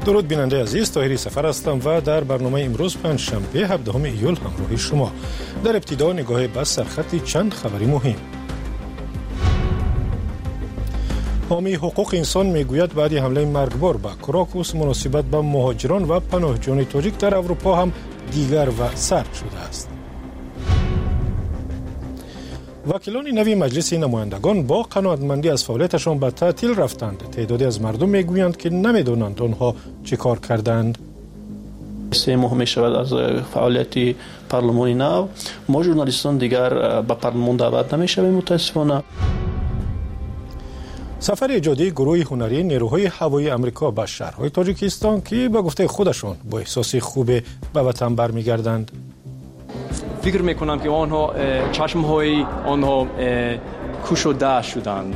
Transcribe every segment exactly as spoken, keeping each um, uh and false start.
Дуруд, бинандаи азиз, Тоҳири Сафар ҳастам ва дар барномаи имрӯз, панҷшанбе, ҳабдаҳуми июл, ҳамроҳи шумо. Дар ибтидо нигоҳе ба сархати чанд хабари муҳим. Ҳомии ҳуқуқи инсон мегӯяд, баъди ҳамлаи маргбор ба Крокус муносибат ба муҳоҷирон ва паноҳҷӯёни тоҷик дар Аврупо ҳам дигар ва сард шудааст. Вакилони нави Маҷлиси намояндагон бо қаноатмандӣ аз фаъолияташон ба таътил рафтанд. Теъдоде аз мардум мегӯянд, ки намедонанд онҳо чӣ кор карданд. Се моҳ мешавад аз фаъолияти парлумони нав. Мо, журналистон, дигар ба парлумон даъват намешавем, мутаассифона. Сафари эҷодии гурӯҳи ҳунарии нерӯҳои ҳавоии Амрико ба шаҳрҳои Тоҷикистон, ки ба гуфтаи худашон бо эҳсоси хубе ба ватан бармегарданд. Фикр мекунам, ки онҳо чашмҳои онҳо кушода шуданд.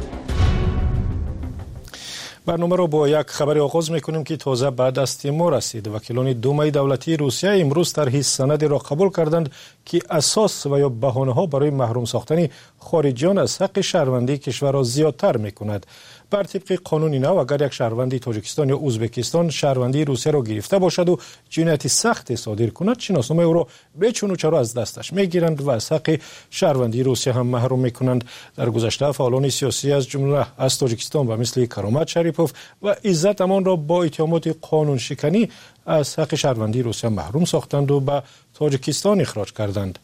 Барномаро бо як хабаре оғоз мекунем, ки тоза ба дасти мо расид. Вакилони Думаи давлатии Русия имрӯз тарҳи санадеро қабул карданд, ки асос ва ё баҳонаҳо барои маҳрум сохтани хориҷиён аз ҳаққи шаҳрвандии кишварро зиёдтар мекунад. Бар тибқи қонуни нав, агар як шаҳрванди Тоҷикистон ё Ӯзбекистон шаҳрвандии Русияро гирифта бошаду ҷинояти сахте содир кунад, шиносномаи ӯро бечуну чаро аз дасташ мегиранд ва аз ҳаққи шаҳрвандии Русия ҳам маҳрум мекунанд. Дар гузашта фаъолони сиёсӣ, аз ҷумла аз Тоҷикистон, ба мисли Каромат Шарипов ва Иззат Амонро бо иттиҳомоти қонуншиканӣ аз ҳаққи шаҳрвандии Русия маҳрум сохтанду ба Тоҷикистон ихроҷ карданд.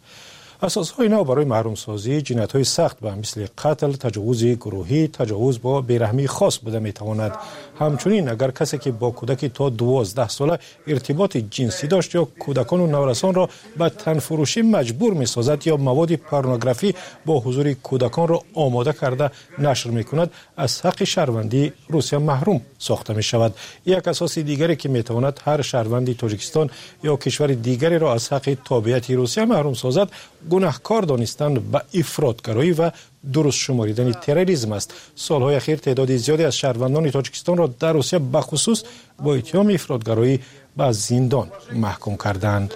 Асосҳои нав барои маҳрумсозии ҷиноятҳои сахт ба мисли қатл, таҷовузи гурӯҳӣ, таҷовуз бо бераҳмии хос буда метавонад. Ҳамчунин, агар касе, ки бо кӯдаки то дувоздаҳ сола иртиботи ҷинсӣ дошт ё кӯдакону наврасонро ба танфурӯшӣ маҷбур месозад ё маводи порнографӣ бо ҳузури кӯдаконро омода карда нашр мекунад, аз ҳаққи шаҳрвандии Русия маҳрум сохта мешавад. Як асоси дигаре, ки метавонад ҳар шаҳрванди Тоҷикистон ё кишвари дигареро аз ҳаққи тобеияти Русия маҳрум созад, гунаҳкор донистан ба ифротгароӣ ва дуруст шуморидани терроризм аст. Солҳои ахир теъдоди зиёде аз шаҳрвандони Тоҷикистонро дар Русия бахусус бо иттиҳоми ифротгароӣ ба зиндон маҳкум карданд.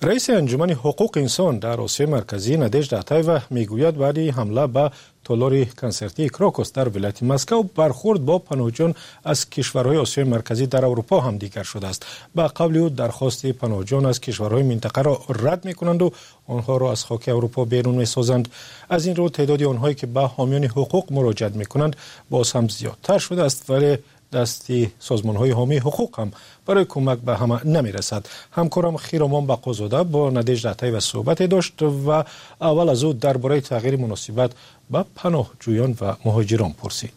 Раиси Анҷумани ҳуқуқи инсон дар Осиёи Марказӣ Надежда Атаева мегӯяд, баъди ҳамла ба толори консертии Крокус дар вилояти Москав бархӯрд бо паноҳҷӯён аз кишварҳои Осиёи Марказӣ дар Аврупо ҳам дигар шудааст. Ба қавли ӯ, дархости паноҳҷӯён аз кишварҳои минтақаро рад мекунанду онҳоро аз хоки Аврупо берун месозанд. Аз ин рӯ теъдоди онҳое, ки ба ҳомиёни ҳуқуқ муроҷиат мекунанд, боз ҳам зиёдтар шудааст, вале дасти созмонҳои ҳомии ҳуқуқ ҳам барои кӯмак ба ҳама намерасад. Ҳамкорам Хиромон Бақозода бо Надежда Атаева суҳбате дошт ва аввал аз ӯ дар бораи тағйири муносибат ба паноҳҷӯён ва муҳоҷирон пурсид.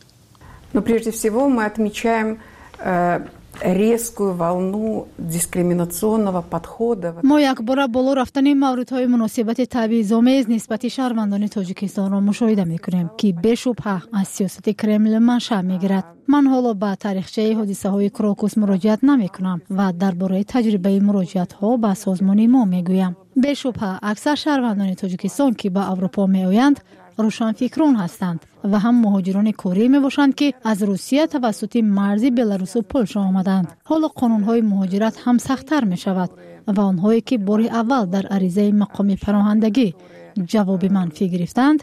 Но прежде всего мы отмечаем э, резкую волну дискриминационного подхода. Мо якбора боло рафтани мавридҳои муносибати табъизомез нисбати шаҳрвандони Тоҷикистонро мушоҳида мекунем, ки бешубҳа аз сиёсати Кремл маншаъ мегирад. Ман ҳоло ба таърихчаи ҳодисаҳои Крокус муроҷиат намекунам ва дар бораи таҷрибаи муроҷиатҳо ба созмони мо мегӯям. Бешубҳа, аксар шаҳрвандони Тоҷикистон, ки ба Аврупо меоянд, рӯшанфикрон ҳастанд ва ҳам муҳоҷирони корӣ мебошанд, ки аз Русия тавассути марзи Беларусу Полша омаданд. Ҳоло қонунҳои муҳоҷират ҳам сахттар мешавад ва онҳое, ки бори аввал дар аризаи мақоми паноҳандагӣ ҷавоби манфӣ гирифтанд,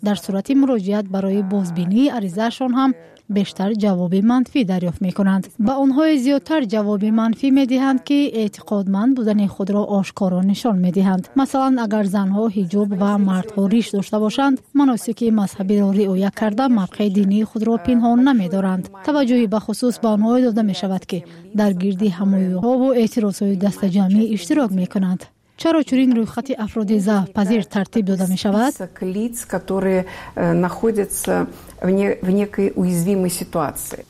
дар сурати муроҷиат барои бозбинии аризаашон ҳам бештар ҷавоби манфӣ дарёфт мекунанд. Ба онҳое зиёдтар ҷавоби манфӣ медиҳанд, ки эътиқодманд будани худро ошкоро нишон медиҳанд. Масалан, агар занҳо ҳиҷоб ва мардҳо риш дошта бошанд, маносики мазҳабиро риоя карда, мавқеи динии худро пинҳон намедоранд. Таваҷҷӯҳи бахусус ба онҳое дода мешавад, ки дар гирди ҳамоюҳову эътирозҳои дастаҷамъӣ иштирок мекунанд. Чаро чунин рӯйхати афроди заъфпазир тартиб дода мешавад? Лиц, которые э, находятся в, не, в некой уязвимой ситуации.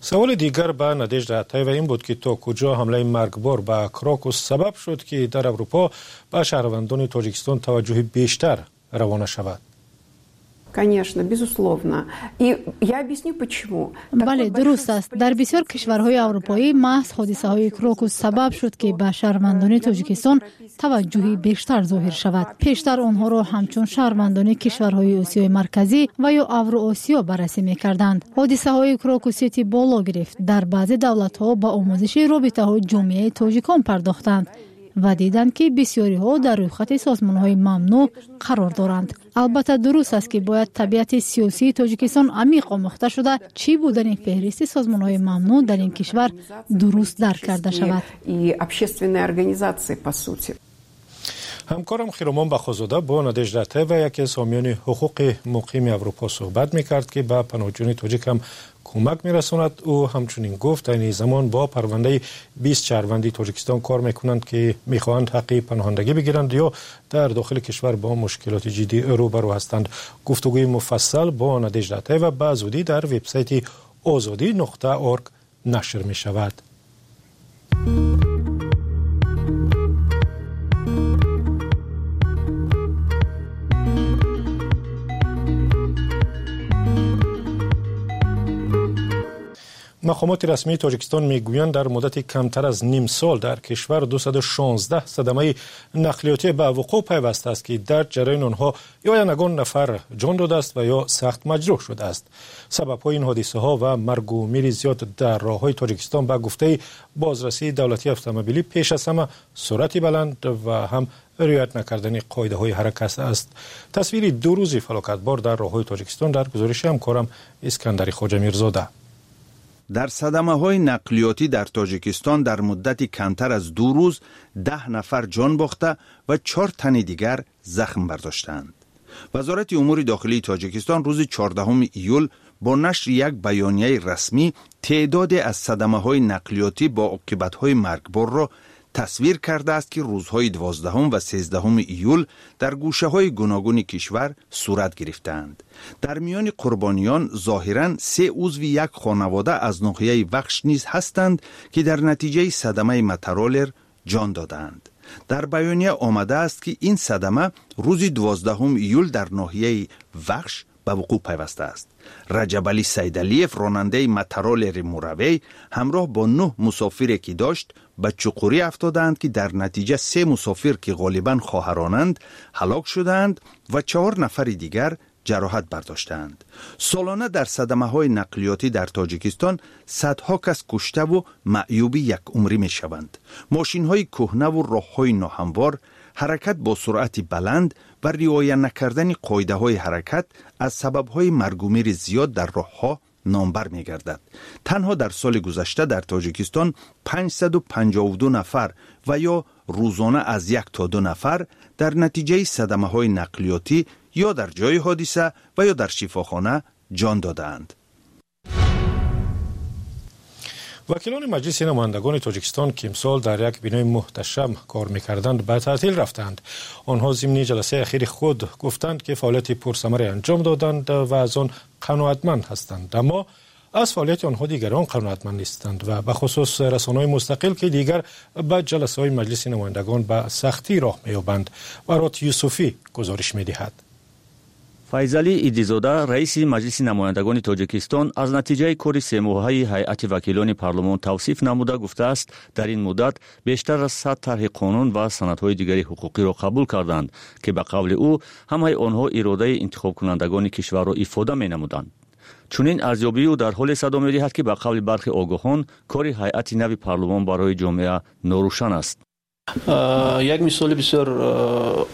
Саволи дигар ба Надежда Атаева ин буд, ки то куҷо ҳамлаи маргбор ба Крокус сабаб шуд, ки дар Аврупо ба шаҳрвандони Тоҷикистон таваҷҷӯҳи бештар равона шавад. Конечно, безусловно. И я объясню почему. Бале, дуруст аст. Дар бисёр кишварҳои аврупоӣ маҳз ҳодисаҳои Крокус сабаб шуд, ки ба шаҳрвандони Тоҷикистон таваҷҷӯҳи бештар зоҳир шавад. Пештар онҳоро ҳамчун шаҳрвандони кишварҳои Осиёи Марказӣ ва ё Авроосиё баррасӣ мекарданд. Ҳодисаҳои Крокус Сити боло гирифт. Дар баъзе давлатҳо ба омӯзиши робитаҳои ҷомеаи тоҷикон пардохтанд. ва диданд, ки бисёриҳо дар рӯйхати созмонҳои мамнӯъ қарор доранд. Албатта дуруст аст, ки бояд табиати сиёсии Тоҷикистон амиқ омӯхта шуда, чӣ будани феҳристи созмонҳои мамнӯъ дар ин кишвар дуруст дарк карда шавад. И общественные организации, по сути. Ҳамкорам Хиромон Бахозода бо Надежда Атаева, яке аз ҳомиёни ҳуқуқи муқими Аврупо, суҳбат мекард, ки ба паноҳҷӯёни тоҷик ҳам кӯмак мерасонад. Ӯ ҳамчунин гуфт, айни замон бо парвандаи бист шаҳрванди Тоҷикистон кор мекунанд, ки мехоҳанд ҳаққи паноҳандагӣ бигиранд ё дар дохили кишвар бо мушкилоти ҷиддӣ рӯбарӯ ҳастанд. Гуфтугӯи муфассал бо Надежда Атаева ба зудӣ дар вебсайти озодӣ нуқта орг нашр мешавад. Мақомоти расмии Тоҷикистон мегӯянд, дар муддати камтар аз ним сол дар кишвар дусаду шонздаҳ садамаи нақлиётӣ ба вуқӯъ пайвастааст, ки дар ҷараёни онҳо ё ягон нафар ҷон додааст ва ё сахт маҷрӯҳ шудааст. Сабабҳои ин ҳодисаҳо ва маргу мири зиёд дар роҳҳои Тоҷикистон ба гуфтаи бозрасии давлатии автомобилӣ пеш аз ҳама суръати баланд ва ҳам риоят накардани қоидаҳои ҳаракат аст. Тасвири ду рӯзи фалокатбор дар роҳҳои Тоҷикистон дар гузориши ҳамкорам Искандари Хоҷамирзода. Дар садамаҳои нақлиётӣ дар Тоҷикистон дар муддати камтар аз ду рӯз даҳ нафар ҷон бохта ва чор тани дигар захм бардоштаанд. Вазорати умури дохилии Тоҷикистон рӯзи чордаҳуми июл бо нашри як баёнияи расмӣ теъдоде аз садамаҳои нақлиётӣ бо оқибатҳои маргборро тасвир кардааст, ки рӯзҳои дувоздаҳум ва сездаҳуми июл дар гӯшаҳои гуногуни кишвар сурат гирифтаанд. Дар миёни қурбониён зоҳиран се узви як хонавода аз ноҳияи Вахш низ ҳастанд, ки дар натиҷаи садамаи мотороллер ҷон додаанд. Дар баёния омадааст, ки ин садама рӯзи дувоздаҳуми июл дар ноҳияи Вахш ба вуқӯъ пайвастааст. Раҷабалӣ Сайдалиев, ронандаи мотороллери Муравей, ҳамроҳ бо нӯҳ мусофире ки дошт, ба чуқурӣ афтодаанд, ки дар натиҷа се мусофир, ки ғолибан хоҳаронанд, ҳалок шудаанд ва чаҳор нафари дигар ҷароҳат бардоштаанд. Солона дар садамаҳои нақлиётӣ дар Тоҷикистон садҳо кас куштаву маъюби якумрӣ мешаванд. Мошинҳои кӯҳнаву роҳҳои ноҳамвор, ҳаракат бо суръати баланд ва риоя накардани қоидаҳои ҳаракат аз сабабҳои маргумири зиёд дар роҳҳо номбар мегардад. Танҳо дар соли гузашта дар Тоҷикистон панҷсаду панҷоҳу ду нафар ва ё рӯзона аз як то ду нафар дар натиҷаи садамаҳои нақлиётӣ ё дар ҷои ҳодиса ва ё дар шифохона ҷон додаанд. Вакилони Маҷлиси намояндагони Тоҷикистон, ки имсол дар як бинои муҳташам кор мекарданд, ба таътил рафтанд. Онҳо зимни ҷаласаи ахири худ гуфтанд, ки фаъолияти пурсамаре анҷом доданд ва аз он қаноатманд ҳастанд. Аммо аз фаъолияти онҳо дигарон қаноатманд нестанд ва бахусус расонаҳои мустақил, ки дигар ба ҷаласаҳои Маҷлиси намояндагон ба сахтӣ роҳ меёбанд. Барот Юсуфӣ гузориш медиҳад. Файзалӣ Идизода, раиси Маҷлиси намояндагони Тоҷикистон, аз натиҷаи кори семоҳаи ҳайати вакилони парлумон тавсиф намуда гуфтааст, дар ин муддат бештар аз сад тарҳи қонун ва санадҳои дигари ҳуқуқиро қабул карданд, ки ба қавли ӯ ҳамаи онҳо иродаи интихобкунандагони кишварро ифода менамуданд. Чунин арзёбии ӯ дар ҳоле садо медиҳад, ки ба қавли бархи огоҳон кори ҳайати нави парлумон барои ҷомеа норӯшан аст. Як мисоли бисёр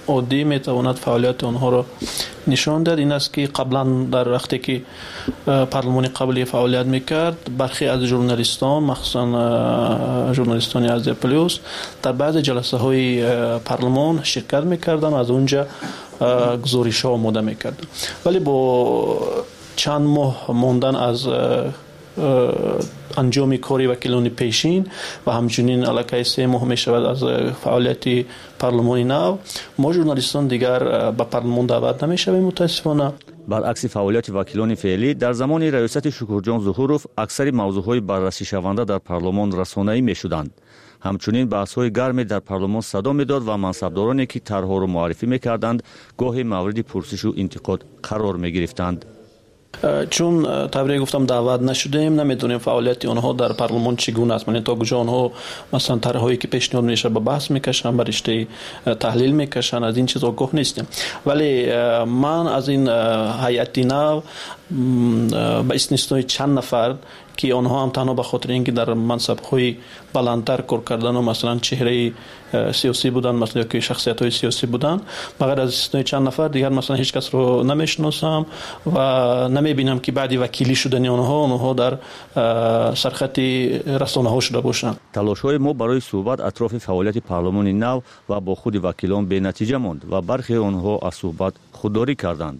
оддӣ метавонад фаъолияти онҳоро нишон диҳад. Ин аст, ки қаблан дар вақте ки парлумони қаблӣ фаъолият мекард, бархе аз журналистон, махсусан журналистони Азия Плюс, дар баъзе ҷаласаҳои парлумон ширкат мекарданд, аз онҷа гузоришҳо омода мекарданд. Вале бо чанд моҳ мондан аз анҷоми кори вакилони пешин ва ҳамчунин аллакай се моҳ мешавад аз фаъолияти парлумони нав, мо журналистон дигар ба парлумон даъват намешавем, мутаассифона. Баръакси фаъолияти вакилони феълӣ, дар замони раёсати Шукурҷон Зуҳуров аксари мавзӯъҳои баррасишаванда дар парлумон расонаӣ мешуданд. Ҳамчунин баҳсҳои гарме дар парлумон садо медод ва мансабдороне, ки тарҳҳоро муаррифӣ мекарданд, гоҳе мавриди пурсишу интиқод қарор мегирифтанд. Чун тавре гуфтам даъват нашудем, намедонем фаъолияти онҳо дар парлумон чӣ гуна аст. Яъне то куҷо онҳо масалан тарҳҳое ки пешниҳод мешавад ба баҳс мекашанд, ба риштаи таҳлил мекашанд, аз ин чиз огоҳ нестем. Вале ман аз ин ҳайати нав ба истиснои чанд нафар, ки онҳо ҳам танҳо ба хотири ин ки дар мансабҳои баландтар кор кардан ва масалан чеҳраи сиёсӣ буданд, масалан ё ки шахсиятҳои сиёсӣ буданд, ба ғайр аз истиснои чанд нафар дигар масалан ҳеҷ касро намешиносам ва намебинам ки баъди вакилӣ шудани онҳо онҳо дар сархати расонаҳо шуда бошанд. Талошҳои мо барои суҳбат атрофи фаъолияти парлумони нав ва бо худи вакилон бенатиҷа монд ва бархе онҳо аз суҳбат худдорӣ карданд.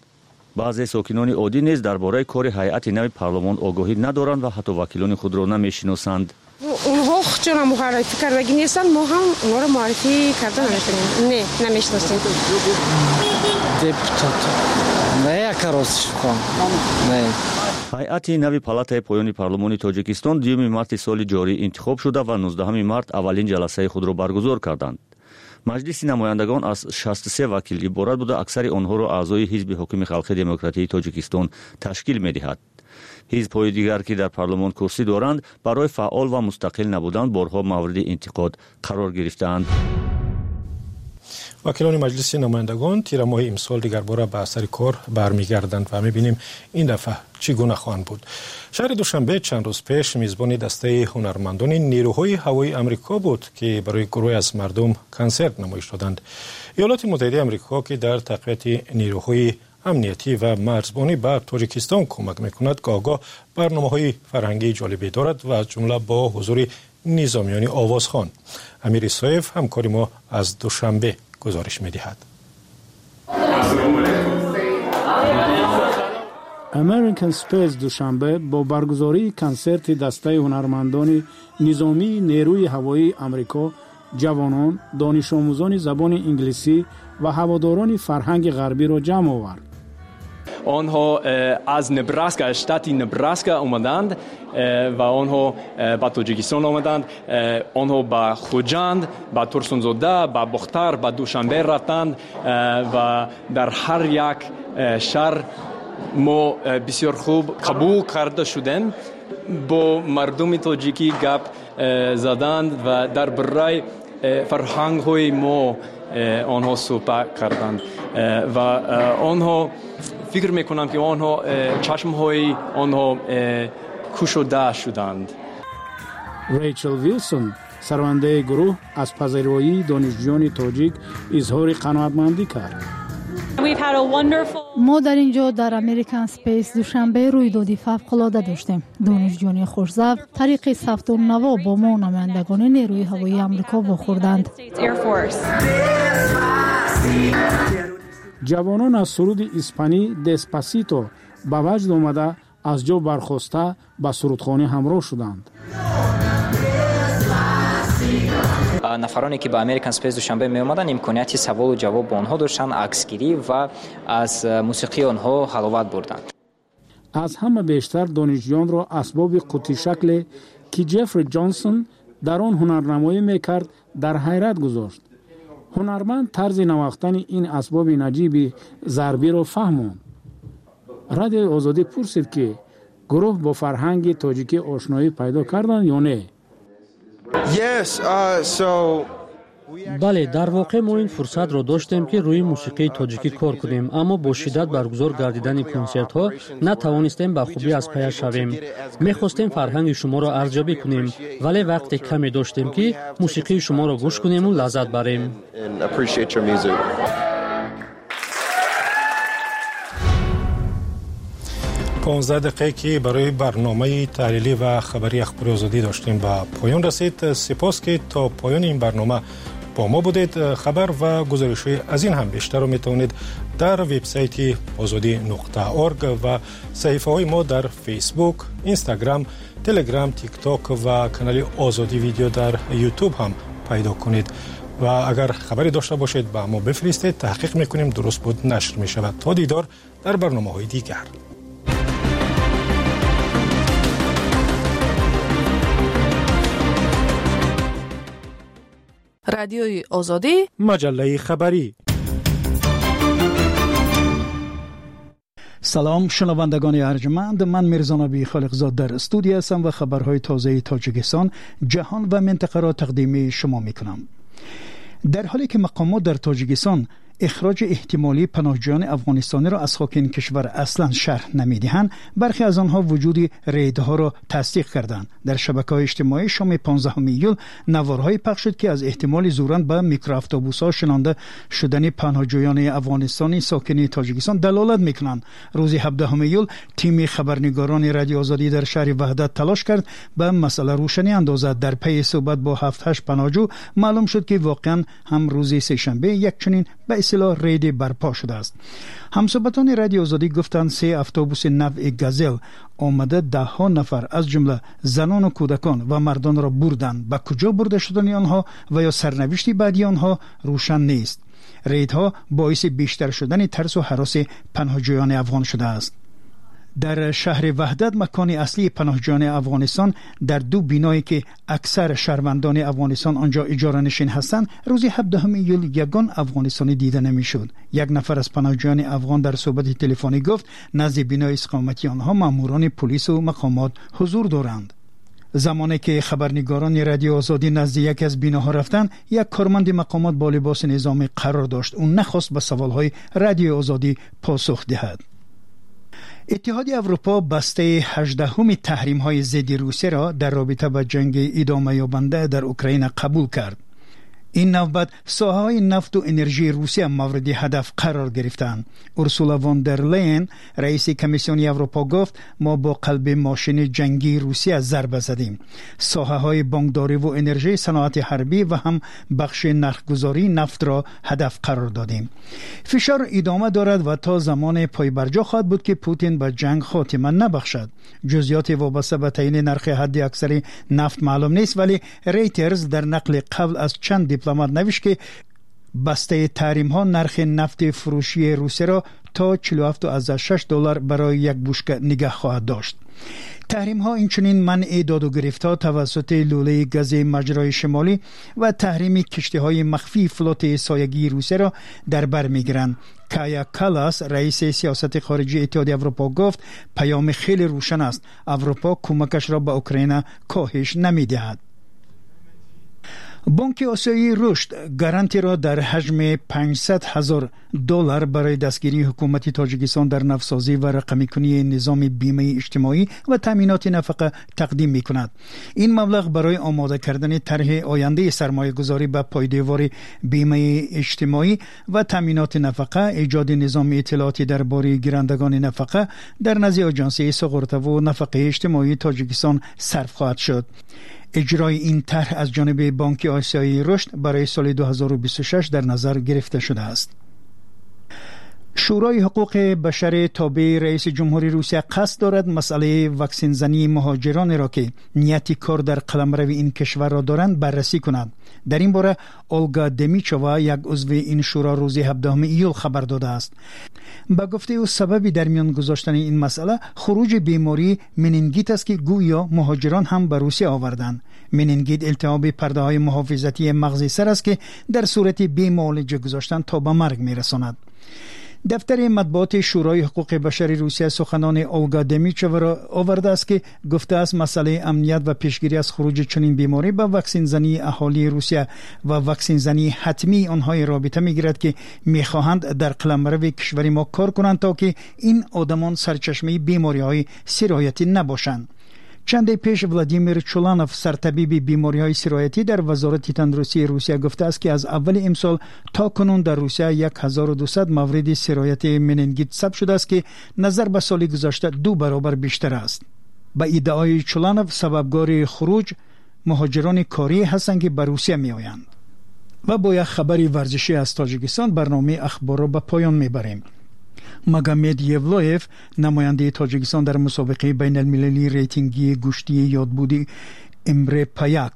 Баъзе сокинони оддӣ низ дар бораи кори ҳайати нави парлумон огоҳӣ надоранд ва ҳатто вакилони худро намешиносанд. Онҳо худшонро муаррифӣ кардагӣ нестанд, мо ҳам онҳоро муаррифӣ карда наметавонем. Не, намешиносем. Депутат не, якарос шукон не. Ҳайати нави палатаи поёни парлумони Тоҷикистон дуюми марти соли ҷорӣ интихоб шуда ва нуздаҳуми март аввалин ҷаласаи худро баргузор карданд. Маҷлиси намояндагон аз шасту се вакил иборат буда, аксари онҳоро аъзои ҳизби ҳокими халқи демократии Тоҷикистон ташкил медиҳад. Ҳизбҳои дигар, ки дар парлумон курсӣ доранд, барои фаъол ва мустақил набудан борҳо мавриди интиқод қарор гирифтаанд. Вакилони Маҷлиси намояндагон тирамоҳи имсол дигарбора ба сари кор бармегарданд ва мебинем ин дафъа чӣ гуна хоҳанд буд. Шаҳри Душанбе чанд рӯз пеш мизбони дастаи ҳунармандони нерӯҳои ҳавоии Амрико буд, ки барои гурӯҳе аз мардум консерт намоиш доданд. Иёлоти Муттаҳидаи Амрико, ки дар тақвияти нерӯҳои амниятӣ ва марзбонӣ ба Тоҷикистон кӯмак мекунад, гоҳ-гоҳ барномаҳои фарҳангии ҷолибе дорад ва аз ҷумла бо ҳузури низомиёни овозхон. Амир Исоев, ҳамкори мо аз Душанбе, гузориш медиҳад. American Space Душанбе бо баргузории консерти дастаи ҳунармандони низомии нерӯи ҳавоии Амрико, ҷавонон, донишомӯзони забони инглисӣ ва ҳаводорони фарҳанги ғарбиро ҷамъ овард. Онҳо аз Небраска, штати Небраска омаданд ва онҳо ба Тоҷикистон омаданд. Онҳо ба Хуҷанд, ба Турсунзода, ба Бохтар, ба Душанбе рафтанд ва дар ҳар як шаҳр мо бисёр хуб қабул карда шудем. Бо мардуми тоҷикӣ гап заданд ва дар бораи фарҳангҳои мо онҳо суҳбат карданд ва онҳо фикр мекунам, ки онҳо чашмҳои онҳо кушода шуданд. Рэйчел Вилсон, сарвандаи гурӯҳ, аз пазироии донишҷӯёни тоҷик изҳори қаноатмандӣ кард. Мо дар ин ҷо дар American Space Душанбе рӯйдоди фавқулода доштем. Донишҷӯёни хушзавқ тариқи савту наво бо мо намояндагони нерӯи ҳавоии Амрико вохӯрданд. Ҷавонон аз суруди испанӣ Деспасито ба ваҷд омада, аз ҷо бархоста ба сурудхонӣ ҳамроҳ шуданд. Нафароне ки ба American Space Душанбе меомаданд, имконияти саволу ҷавоб бо онҳо доштанд, аксгирӣ ва аз мусиқии онҳо ҳаловат бурданд. Аз ҳама бештар донишҷӯёнро асбоби қуттишакле, ки Ҷеффри Ҷонсон дар он ҳунарнамоӣ мекард, дар ҳайрат гузошт. Ҳунарманд тарзи навохтани ин асбоби наҷиби зарбиро фаҳмонд. Радиои Озодӣ пурсид, ки гурӯҳ бо фарҳанги тоҷикӣ ошноӣ пайдо карданд ё не? Бале, дар воқеъ мо ин фурсатро доштем, ки рӯи мусиқии тоҷикӣ кор кунем, аммо бо шиддат баргузор гардидани консертҳо натавонистем ба хубӣ аз пая шавем. Мехостем фарҳанги шуморо арзёбӣ кунем, вале вақте каме доштем, ки мусиқии шуморо гӯш кунему лаззат барем. понздаҳ дақиқае, ки барои барномаи таҳлилӣ ва хабарии Ахбори Озодӣ доштем, ба поён расид. Сипос, ки то поёни ин барнома бо мо будед. Хабар ва гузоришҳои аз ин ҳам бештарро метавонед дар вебсайти озодӣ нуқта орг ва саҳифаҳои мо дар Фейсбук, Инстаграм, Телеграм, Тикток ва канали Озодӣ видео дар Ютуб ҳам пайдо кунед. Ва агар хабаре дошта бошед, ба мо бифиристед, таҳқиқ мекунем, дуруст буд нашр мешавад. То дидор дар барномаҳои дигар. Радиои Озодӣ, маҷаллаи хабарӣ. Салом шунавандагони арҷманд, ман Мирзонаби Холиқзод дар студия ҳастам ва хабарҳои тозаи Тоҷикистон, ҷаҳон ва минтақаро тақдими шумо мекунам. Дар ҳоле ки мақомот дар Тоҷикистон اخراج احتمالی پناهجویان افغانستانی را از خاک این کشور اصلا شرح نمی‌دهند، برخی از آنها وجود ریدها را تصدیق کردند. در شبکه‌های اجتماعی شام پانزدهم ایول نوارهای پخش شد که از احتمال زوراً به میکرواتوبوس‌ها شنانده شدن پناهجویان افغانستانی ساکن تاجیکستان دلالت می‌کنند. روز هفدهم ایول تیم خبرنگاران رادیو آزادی در شهر وحدت تلاش کرد به مسئله روشنی اندازد. در پی صحبت با هفت هشت پناهجو معلوم شد که واقعا هم روز سه‌شنبه یک چنین به اصطلاح رید برپا شده است. همصحبتان رادیو آزادی گفتند سه اتوبوس نوع گازل آمده ده ها نفر از جمله زنان و کودکان و مردان را بردند. به کجا برده شدن آنها و یا سرنوشت بعدی آنها روشن نیست. ریدها باعث بیشتر شدن ترس و هراس پناهجویان افغان شده است. در شهر وحدت، مکان اصلی پناهجویان افغانستان، در دو بینایی که اکثر شهروندان افغانستان آنجا اجاره نشین هستند، روز هفدهم ایول یگان افغانستانی دیده نمیشد. یک نفر از پناهجویان افغان در صحبت تلفنی گفت نزد بینای اقامتی آنها ماموران پلیس و مقامات حضور دارند. زمانی که خبرنگاران رادیو آزادی نزد یکی از بیناها رفتند، یک کارمند مقامات با لباس نظامی قرار داشت. او نخواست به سوالهای رادیو آزادی پاسخ دهد. اتحادیه اروپا بسته هجدهم تحریم های ضد روسیه را در رابطه با جنگ ادامه یابنده در اوکراین قبول کرد. این نوبت ساحه‌های نفت و انرژی روسیه مورد هدف قرار گرفتند. اورسولا فون در لاین رئیس کمیسیون اروپا گفت ما با قلب ماشین جنگی روسیه ضربه زدیم. ساحه‌های بانکداری و انرژی، صنعت حربی و هم بخش نرخ‌گذاری نفت را هدف قرار دادیم. فشار ادامه دارد و تا زمان پایبرجا خواهد بود که پوتین به جنگ خاتمه نبخشد. جزئیات وابسته به تعیین نرخ حد اکثر نفت معلوم نیست، ولی ریترز در نقل قول از چند دیپلمات نوشت که بسته تحریم ها نرخ نفت فروشی روسیه را تا چهل و هفت و شش دلار برای یک بشکه نگه خواهد داشت. تحریم ها اینچنین منع داد و گرفت ها توسط لوله گاز مجرای شمالی و تحریم کشتی های مخفی فلوت سایگی روسیه را در بر میگیرند. کایا کالاس رئیس سیاست خارجی اتحادیه اروپا گفت پیام خیلی روشن است، اروپا کمکش را به اوکراین کاهش نمیدهد. بانک آسیایی رشد گارانتی را در حجم پانصد هزار دلار برای دستگیری حکومت تاجیکستان در نوسازی و رقمی کنی نظام بیمه اجتماعی و تامینات نفقه تقدیم می کند. این مبلغ برای آماده کردن طرح آینده سرمایه گذاری به پایدار بیمه اجتماعی و تامینات نفقه، ایجاد نظام اطلاعاتی درباره گیرندگان نفقه در نزد آژانس سغورتا و نفقه اجتماعی تاجیکستان صرف خواهد شد. اجرای این طرح از جانب بانک آسیایی رشد برای سال دو هزار و بیست و شش در نظر گرفته شده است. شورای حقوق بشر تابع رئیس جمهوری روسیه قصد دارد مسئله واکسن زنی مهاجران را که نیت کار در قلمرو این کشور را دارند بررسی کند. در این باره اولگا دمیچووا یک عضو این شورا روز هفدهم ایول خبر داده است. به گفته او سبب در میان گذاشتن این مسئله خروج بیماری منینگیت است که گویا مهاجران هم به روسیه آوردند. منینگیت التهاب پرده های محافظتی مغز سر است که در صورت بی‌معالجه گذاشتن تا به مرگ می‌رساند. دفتر مطبوعات شورای حقوق بشر روسیه سخنان اولگا دمیچووا را آورده است که گفته است مسئله امنیت و پیشگیری از خروج چنین بیماری با واکسن زنی اهالی روسیه و واکسن زنی حتمی آنها رابطه میگیرد که میخواهند در قلمرو کشور ما کار کنند تا که این آدمان سرچشمه بیماری های سرایتی نباشند. چندی پیش ولادیمیر چولانوف سرطبیب بیماری‌های سرایتی در وزارت تندرستی روسیه گفته است که از اول امسال تا کنون در روسیه هزار و دویست مورد سرایت مننگیت ثبت شده است که نظر به سال گذشته دو برابر بیشتر است. به ادعای چولانوف سببگار خروج مهاجران کاری هستند که به روسیه می‌آیند. و با یک خبر ورزشی از تاجیکستان برنامه اخبار را به پایان می‌بریم. مگامد یولاف نماینده تاجیکستان در مسابقه بین المللی ریتینگی گوشتی یادبودی امره پایاک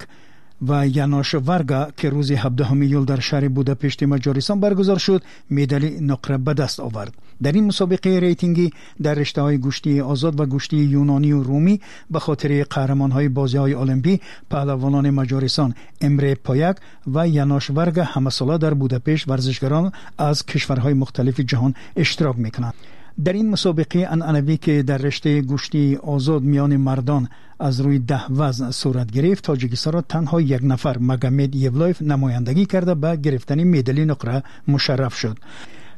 و یانوش وارگا که روز هفدهم ایول در شهر بوداپشت مجارستان برگزار شد، مدال نقره به دست آورد. در این مسابقه ریتینگی در رشته‌های گوشتی آزاد و گوشتی یونانی و رومی به خاطر قهرمان‌های بازی‌های المپی پهلوانان مجارستان امره پایاک و یانوش وارگا همه‌ساله در بوداپشت ورزشکاران از کشورهای مختلف جهان اشتراک می‌کنند. Дар ин мусобиқаи анъанавӣ, ки дар риштаи гӯштии озод миёни мардон аз рӯи даҳ вазн сурат гирифт, Тоҷикистонро танҳо як нафар, Магомед Евлоев, намояндагӣ карда ба гирифтани медали нуқра мушарраф шуд.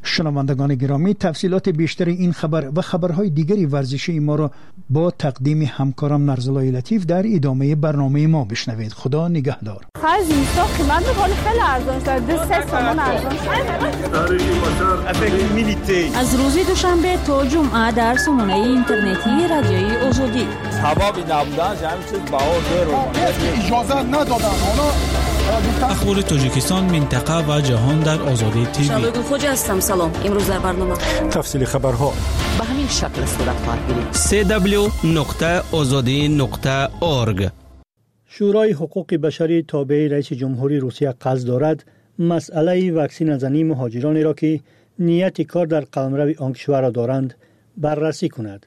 Шунавандагони гиромӣ, тафсилоти бештари ин хабар ва хабарҳои дигари варзишии моро бо тақдими ҳамкорам Нарзуллои Латиф дар идомаи барномаи мо бишнавед. Худо нигаҳдор. Хай, зимистон қимат буд, ҳоли хеле арзон шуд, ду се сомон арзон шуд. Аз рӯзи душанбе то ҷумъа дар сомонаи интернетии Радиои Озодӣ. Сабаби набуданаш ҳамин чиз баҳо берун. Иҷозат надоданд онҳо. Ахбори Тоҷикистон, минтақа ва ҷаҳон дар Озодӣ ТВ. Шаҳлои Гулхоҷа ҳастам. Салом. Имрӯз дар барнома тафсили хабарҳо ба ҳамин шакл сурат хоҳад гирифт. си дабл ю нуқта озодӣ нуқта орг. Шӯрои ҳуқуқи башарии тобеи раиси ҷумҳурии Русия қасд дорад масъалаи ваксиназании муҳоҷиронеро, ки нияти кор дар қаламрави он кишварро доранд, баррасӣ кунад.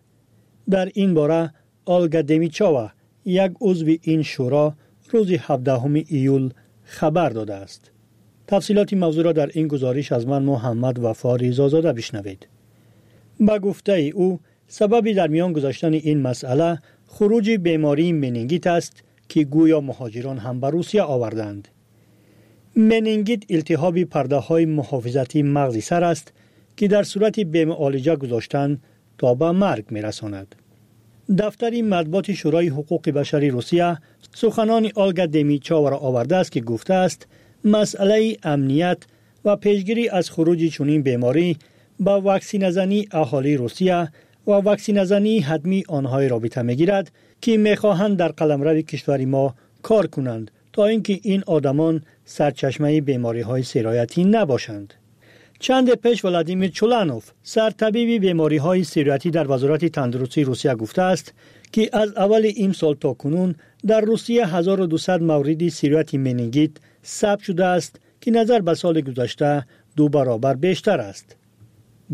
Дар ин бора Олга Демичова, як узви ин шӯро, рӯзи ҳабдаҳуми июл хабар додааст. Тафсилоти мавзӯъро дар ин гузориш аз ман Муҳаммад Вафо Ризозода бишнавед. Ба гуфтаи ӯ, сабаби дар миён гузоштани ин масъала хуруҷи бемории менингит аст, ки гӯё муҳоҷирон ҳам ба Русия оварданд. Менингит илтиҳоби пардаҳои муҳофизатии мағзи сар аст, ки дар сурати бемуолиҷа гузоштан то ба марг мерасонад. Дафтари матбуоти Шӯрои ҳуқуқи башари Русия суханони Олга Демичоваро овардааст, ки гуфтааст масъалаи амният ва пешгирӣ аз хуруҷи чунин беморӣ ба ваксиназании аҳолии Русия ва ваксиназании ҳатмии онҳое робита мегирад, ки мехоҳанд дар қаламрави кишвари мо кор кунанд, то ин ки ин одамон сарчашмаи бемориҳои сироятӣ набошанд. Чанде пеш Владимир Чуланов, сартабиби бемориҳои сироятӣ дар Вазорати тандурустии Русия, гуфтааст, ки аз аввали имсол то кунун дар Русия ҳазору дусад мавриди сирояти менингит сабт шудааст, ки назар ба соли гузашта ду баробар бештар аст.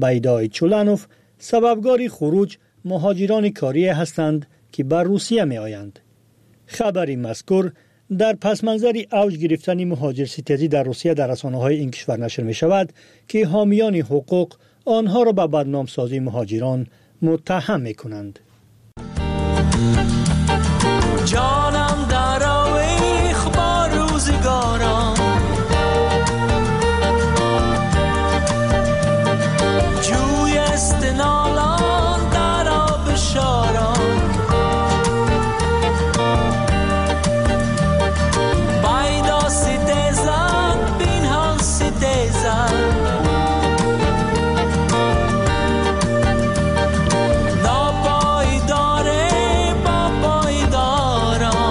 Ба иддаои Чуланов, сабабгори хуруҷ муҳоҷирони корие ҳастанд, ки ба Русия меоянд. Хабари мазкур дар пасманзари авҷ гирифтани муҳоҷирситезӣ дар Русия дар расонаҳои ин кишвар нашр мешавад, ки ҳомиёни ҳуқуқ онҳоро ба бадномсозии муҳоҷирон муттаҳам мекунанд. Ҷонам дар овех бо рӯзгорам, ҷӯй است نالان در آبشاران، پیدا ستیزد پنهان ستیزد، ناپایدار با پایداران.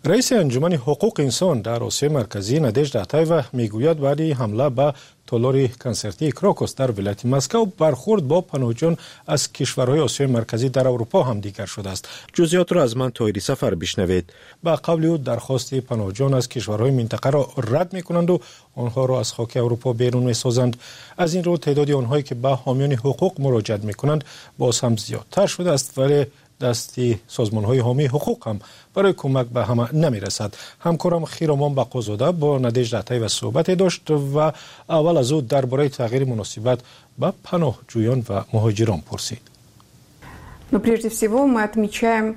Раиси Анҷумани ҳуқуқи инсон дар Осиёи Марказӣ Надежда Атаева мегӯяд, баъди ҳамла ба толори консертии Крокус дар вилояти Москав бархӯрд бо паноҳҷӯён аз кишварҳои Осиёи Марказӣ дар Аврупо ҳам дигар шудааст. Ҷузъиётро аз ман Тоҳири Сафар бишнавед. Ба қавли ӯ, дархости паноҳҷӯён аз кишварҳои минтақаро рад мекунанду онҳоро аз хоки Аврупо берун месозанд. Аз ин рӯ теъдоди онҳое ки ба ҳомиёни ҳуқуқ муроҷиат мекунанд, боз ҳам зиёдтар шудааст, вале дасти созмонҳои ҳомии ҳуқуқ ҳам барои кӯмак ба ҳама намерасад. Ҳамкорам Хиромон Бақозода бо Надежда Атаева суҳбате дошт ва аввал аз ӯ дар бораи тағйири муносибат ба паноҳҷӯён ва муҳоҷирон пурсид. Но прежде всего мы отмечаем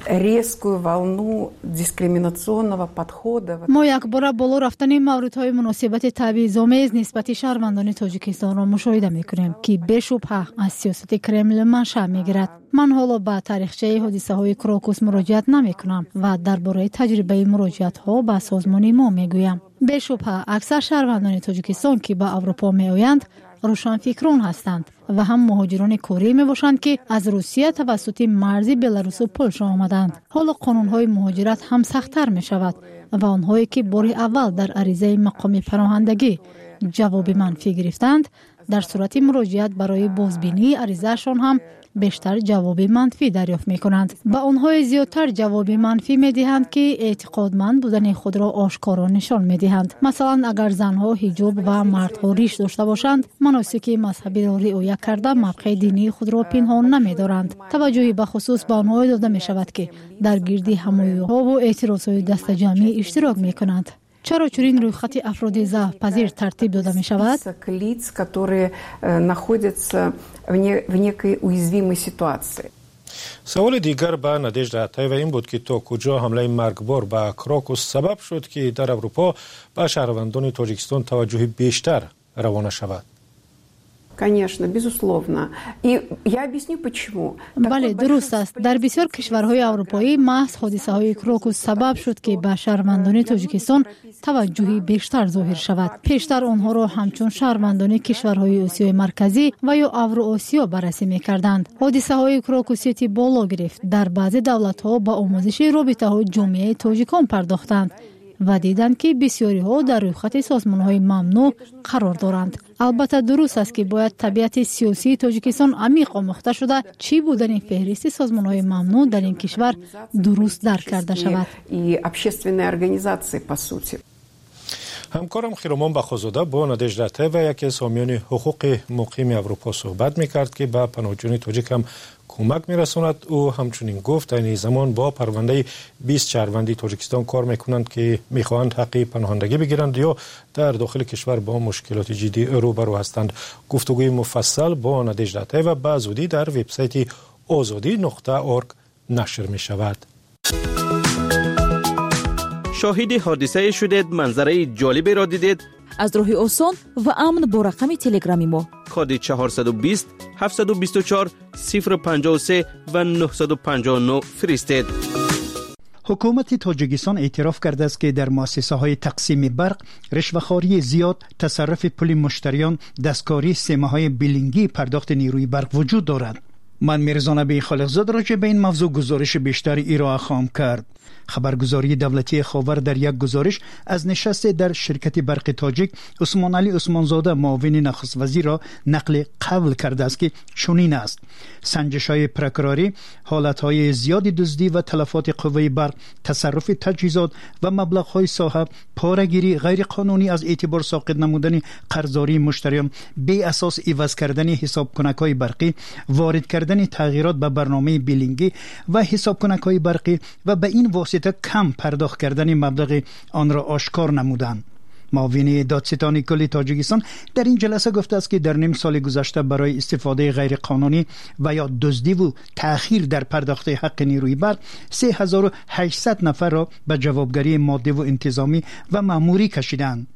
резкую волну дискриминационного подхода. Мо якбора боло рафтани мавридҳои муносибати табъизомез нисбати шаҳрвандони Тоҷикистонро мушоҳида мекунем, ки бешубҳа аз сиёсати Кремл маншаъ мегирад. Ман ҳоло ба таърихчаи ҳодисаҳои Крокус муроҷиат намекунам ва дар бораи таҷрибаи муроҷиатҳо ба созмони мо мегӯям. Бешубҳа аксар шаҳрвандони Тоҷикистон, ки ба Аврупо меоянд, рӯшанфикрон ҳастанд ва ҳам муҳоҷирони корӣ мебошанд, ки аз Русия тавассути марзи Беларусу Полша омаданд. Ҳоло қонунҳои муҳоҷират ҳам сахттар мешавад ва онҳое ки бори аввал дар аризаи мақоми паноҳандагӣ ҷавоби манфӣ гирифтанд, дар сурати муроҷиат барои бозбинии аризаашон ҳам бештар ҷавоби манфӣ дарёфт мекунанд. Ба онҳое зиёдтар ҷавоби манфӣ медиҳанд, ки эътиқодманд будани худро ошкоро нишон медиҳанд. Масалан, агар занҳо ҳиҷоб ва мардҳо риш дошта бошанд, маносики мазҳабиро риоя карда мавқеи динии худро пинҳон намедоранд. Таваҷҷӯҳи бахусус ба онҳое дода мешавад, ки дар гирди ҳамоюҳову эътирозҳои дастаҷамъӣ иштирок мекунанд. Чаро чунин рӯйхати афроди заъфпазир тартиб дода мешавад? Лиц, которые находятся в некой уязвимой ситуации. Саволи дигар ба Надежда Атаева ин буд, ки то куҷо ҳамлаи маргбор ба Крокус сабаб шуд, ки дар Аврупо ба шаҳрвандони Тоҷикистон таваҷҷӯҳи бештар равона шавад. Конечно, безусловно. И я объясню почему. Бале, дуруст аст. Дар бисёр кишварҳои аврупоӣ маҳз ҳодисаҳои Крокус сабаб шуд, ки ба шаҳрвандони Тоҷикистон таваҷҷӯҳи бештар зоҳир шавад. Пештар онҳоро ҳамчун шаҳрвандони кишварҳои Осиёи Марказӣ ва ё Авроосиё баррасӣ мекарданд. Ҳодисаҳои Крокус Сити боло гирифт. Дар баъзе давлатҳо ба омӯзиши робитаҳои ҷомеаи тоҷикон пардохтанд ва диданд, ки бисёриҳо дар рӯйхати созмонҳои мамнӯъ қарор доранд. Албатта, дуруст аст, ки бояд табиати сиёсии Тоҷикистон амиқ омӯхта шуда, чӣ будани феҳристи созмонҳои мамнӯъ дар ин кишвар дуруст дарк карда шавад. И общественные организации, по сути. Ҳамкорам Хиромон Бақозода бо Надежда Атаева, яке аз ҳомиёни ҳуқуқи муқими Аврупо, суҳбат мекард, ки ба паноҳҷӯёни тоҷик ҳам кӯмак мерасонад. Ӯ ҳамчунин гуфт, айни замон бо парвандаи бист шаҳрванди Тоҷикистон кор мекунанд, ки мехоҳанд ҳаққи паноҳандагӣ бигиранд ё дар дохили кишвар бо мушкилоти ҷиддӣ рӯбарӯ ҳастанд. Гуфтугӯи муфассал бо Надежда Атаева ба зудӣ дар вебсайти озодӣ нуқта орг нашр мешавад. Шоҳиди ҳодисае шудед, манзараи ҷолиберо дидед. Аз роҳи осон ва амн бо рақами телеграми мо коди чорсаду бист ҳафтсаду бисту чор сифр панҷоҳу се ва нӯҳсаду панҷоҳу нӯҳ фиристед. Ҳукумати Тоҷикистон эътироф кардааст, ки дар муассисаҳои тақсими барқ ришвахории зиёд, тасарруфи пули муштариён, дасткории системаҳои билингии пардохти нерӯи барқ вуҷуд дорад. Ман Мирзонаби Холиқзод роҷеъ ба ин мавзӯъ гузориши бештари ироа хоҳам кард. Хабаргузории давлатии Ховар дар як гузориш аз нишасте дар ширкати барқи тоҷик Усмоналӣ Усмонзода, муовини нахуствазирро нақли қавл кардааст, ки чунин аст: санҷишҳои прокурорӣ ҳолатҳои зиёди дуздӣ ва талафоти қувваи барқ, тасарруфи таҷҳизот ва маблағҳои соҳа, порагирӣ, ғайриқонунӣ аз эътибор соқит намудани қарздории муштариён, беасос иваз кардани ҳисобкунакҳои барқӣ, ворид кардани тағйирот ба барномаи билингӣ ва ҳисобкунакҳои барқӣ ва ба ин восита кам пардохт кардани маблағи онро ошкор намуданд. Муовини додситони кулли Тоҷикистон дар ин ҷаласа гуфтааст, ки дар ним соли гузашта барои истифодаи ғайриқонунӣ ва ё дуздиву таъхир дар пардохти ҳаққи нерӯи барқ се ҳазору ҳаштсад нафарро ба ҷавобгарии моддиву интизомӣ ва маъмурӣ кашиданд.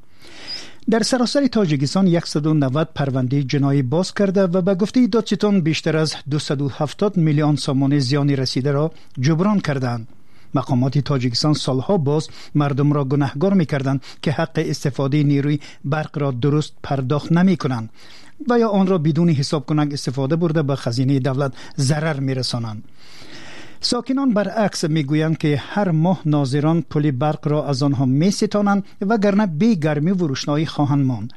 Дар саросари Тоҷикистон яксаду навад парвандаи ҷиноӣ боз карда ва ба гуфтаи додситон бештар аз дусаду ҳафтод миллион сомонӣ зиёни расидаро ҷуброн карданд. Мақомоти Тоҷикистон солҳо боз мардумро гунаҳгор мекарданд, ки ҳаққи истифодаи нерӯи барқро дуруст пардохт намекунанд ва ё онро бидуни ҳисобкунак истифода бурда ба хазинаи давлат зарар мерасонанд. Сокинон баръакс мегӯянд, ки ҳар моҳ нозирон пули барқро аз онҳо меситонанд, вагарна бе гармӣ ва рӯшноӣ хоҳанд монд.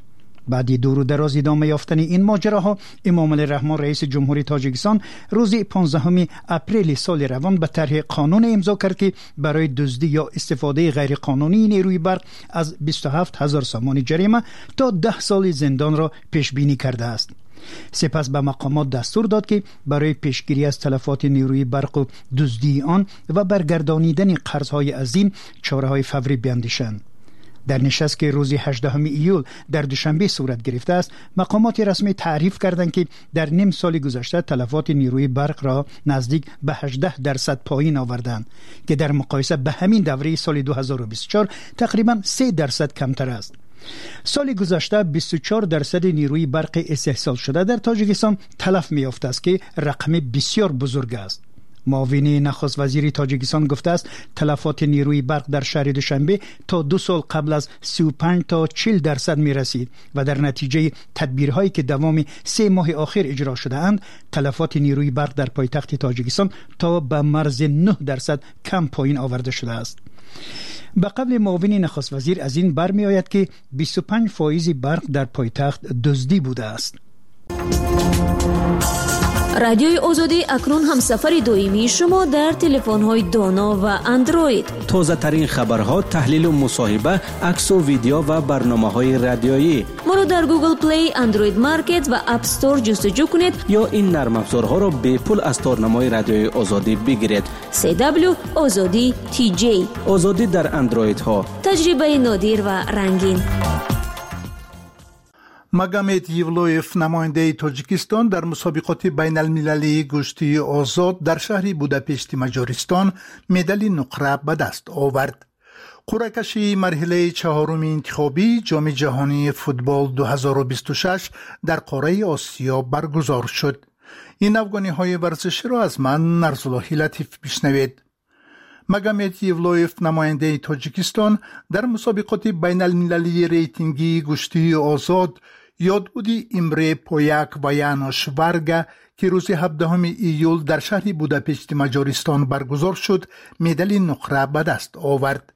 Баъди дуру дароз идома ёфтани ин моҷароҳо, Эмомалӣ Раҳмон, раиси ҷумҳури Тоҷикистон, рӯзи понздаҳуми апрели соли равон ба тарҳи қонун имзо кард, ки барои дуздӣ ё истифодаи ғайриқонунии нерӯи барқ аз бисту ҳафт ҳазор сомонӣ ҷарима то даҳ соли зиндонро пешбинӣ кардааст. Сипас ба мақомот дастур дод, ки барои пешгирӣ аз талафоти нерӯи барқу дуздии он ва баргардонидани қарзҳои азим чораҳои фаврӣ биандешанд. Дар нишаст, ки рӯзи ҳаждаҳуми июл дар Душанбе сурат гирифтааст, мақомоти расмӣ таъриф карданд, ки дар ним соли гузашта талафоти нерӯи барқро наздик ба ҳаждаҳ дарсад поин оварданд, ки дар муқоиса ба ҳамин давраи соли ду ҳазору бисту чор тақрибан се дарсад камтар аст. Соли гузашта бисту чор дарсади нерӯи барқи истеҳсолшуда дар Тоҷикистон талаф меёфтааст, ки рақами бисёр бузург аст. Муовини нахуст вазири Тоҷикистон гуфтааст, талафоти нерӯи барқ дар шаҳри Душанбе то ду сол қабл аз сию панҷ то чил дарсад мерасид ва дар натиҷаи тадбирҳое, ки давоми се моҳи охир иҷро шудаанд, талафоти нерӯи барқ дар пойтахти Тоҷикистон то ба марзи нӯҳ дарсад кам поин оварда шудааст. Ба қавли муовини нахуст вазир, аз ин бармеояд, ки бисту панҷ фоизи барқ дар пойтахт дуздӣ будааст. Радиои Озодӣ акнун ҳамсафари доимии шумо дар телефонҳои доно ва Андроид. Тозатарин хабарҳо, таҳлилу мусоҳиба, аксу видео ва барномаҳои радиоӣ. Моро дар Google Play, Android Market ва App Store ҷустуҷӯ кунед ё ин нармафзорҳоро бепул аз торнамои Радиои Озодӣ бигиред. си дабл ю Озодӣ ти ҷей. Озодӣ дар Андроидҳо. Таҷрибаи нодир ва рангин. Магомед Евлоев, намояндаи Тоҷикистон дар мусобиқоти байналмилалии гӯштии озод дар шаҳри Будапешти Маҷористон, медали нуқра ба даст овард. Қуръакашии марҳилаи чаҳоруми интихобии Ҷоми ҷаҳонии футбол ду ҳазору бисту шаш дар қораи Осиё баргузор шуд. Ин афғониҳои варзиширо аз ман Нарзуллоҳи Латиф бишнавед. Магомед Евлоев, намояндаи Тоҷикистон дар мусобиқоти байналмилалии рейтингии гӯштии озод ёдбуди Имре Пояк ва Янош Варга, ки рӯзи ҳабдаҳуми июл дар шаҳри Будапешти Маҷористон баргузор шуд, медали нуқра ба даст овард.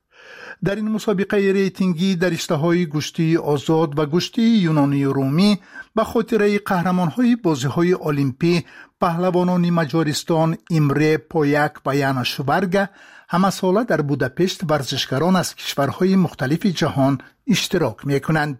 Дар ин мусобиқаи рейтингӣ дар риштаҳои гӯштии озод ва гӯштии юнонию румӣ ба хотираи қаҳрамонҳои бозиҳои олимпӣ паҳлавонони Маҷористон Имре Пояк ва Янош Варга ҳамасола дар Будапешт варзишгарон аз кишварҳои мухталифи ҷаҳон иштирок мекунанд.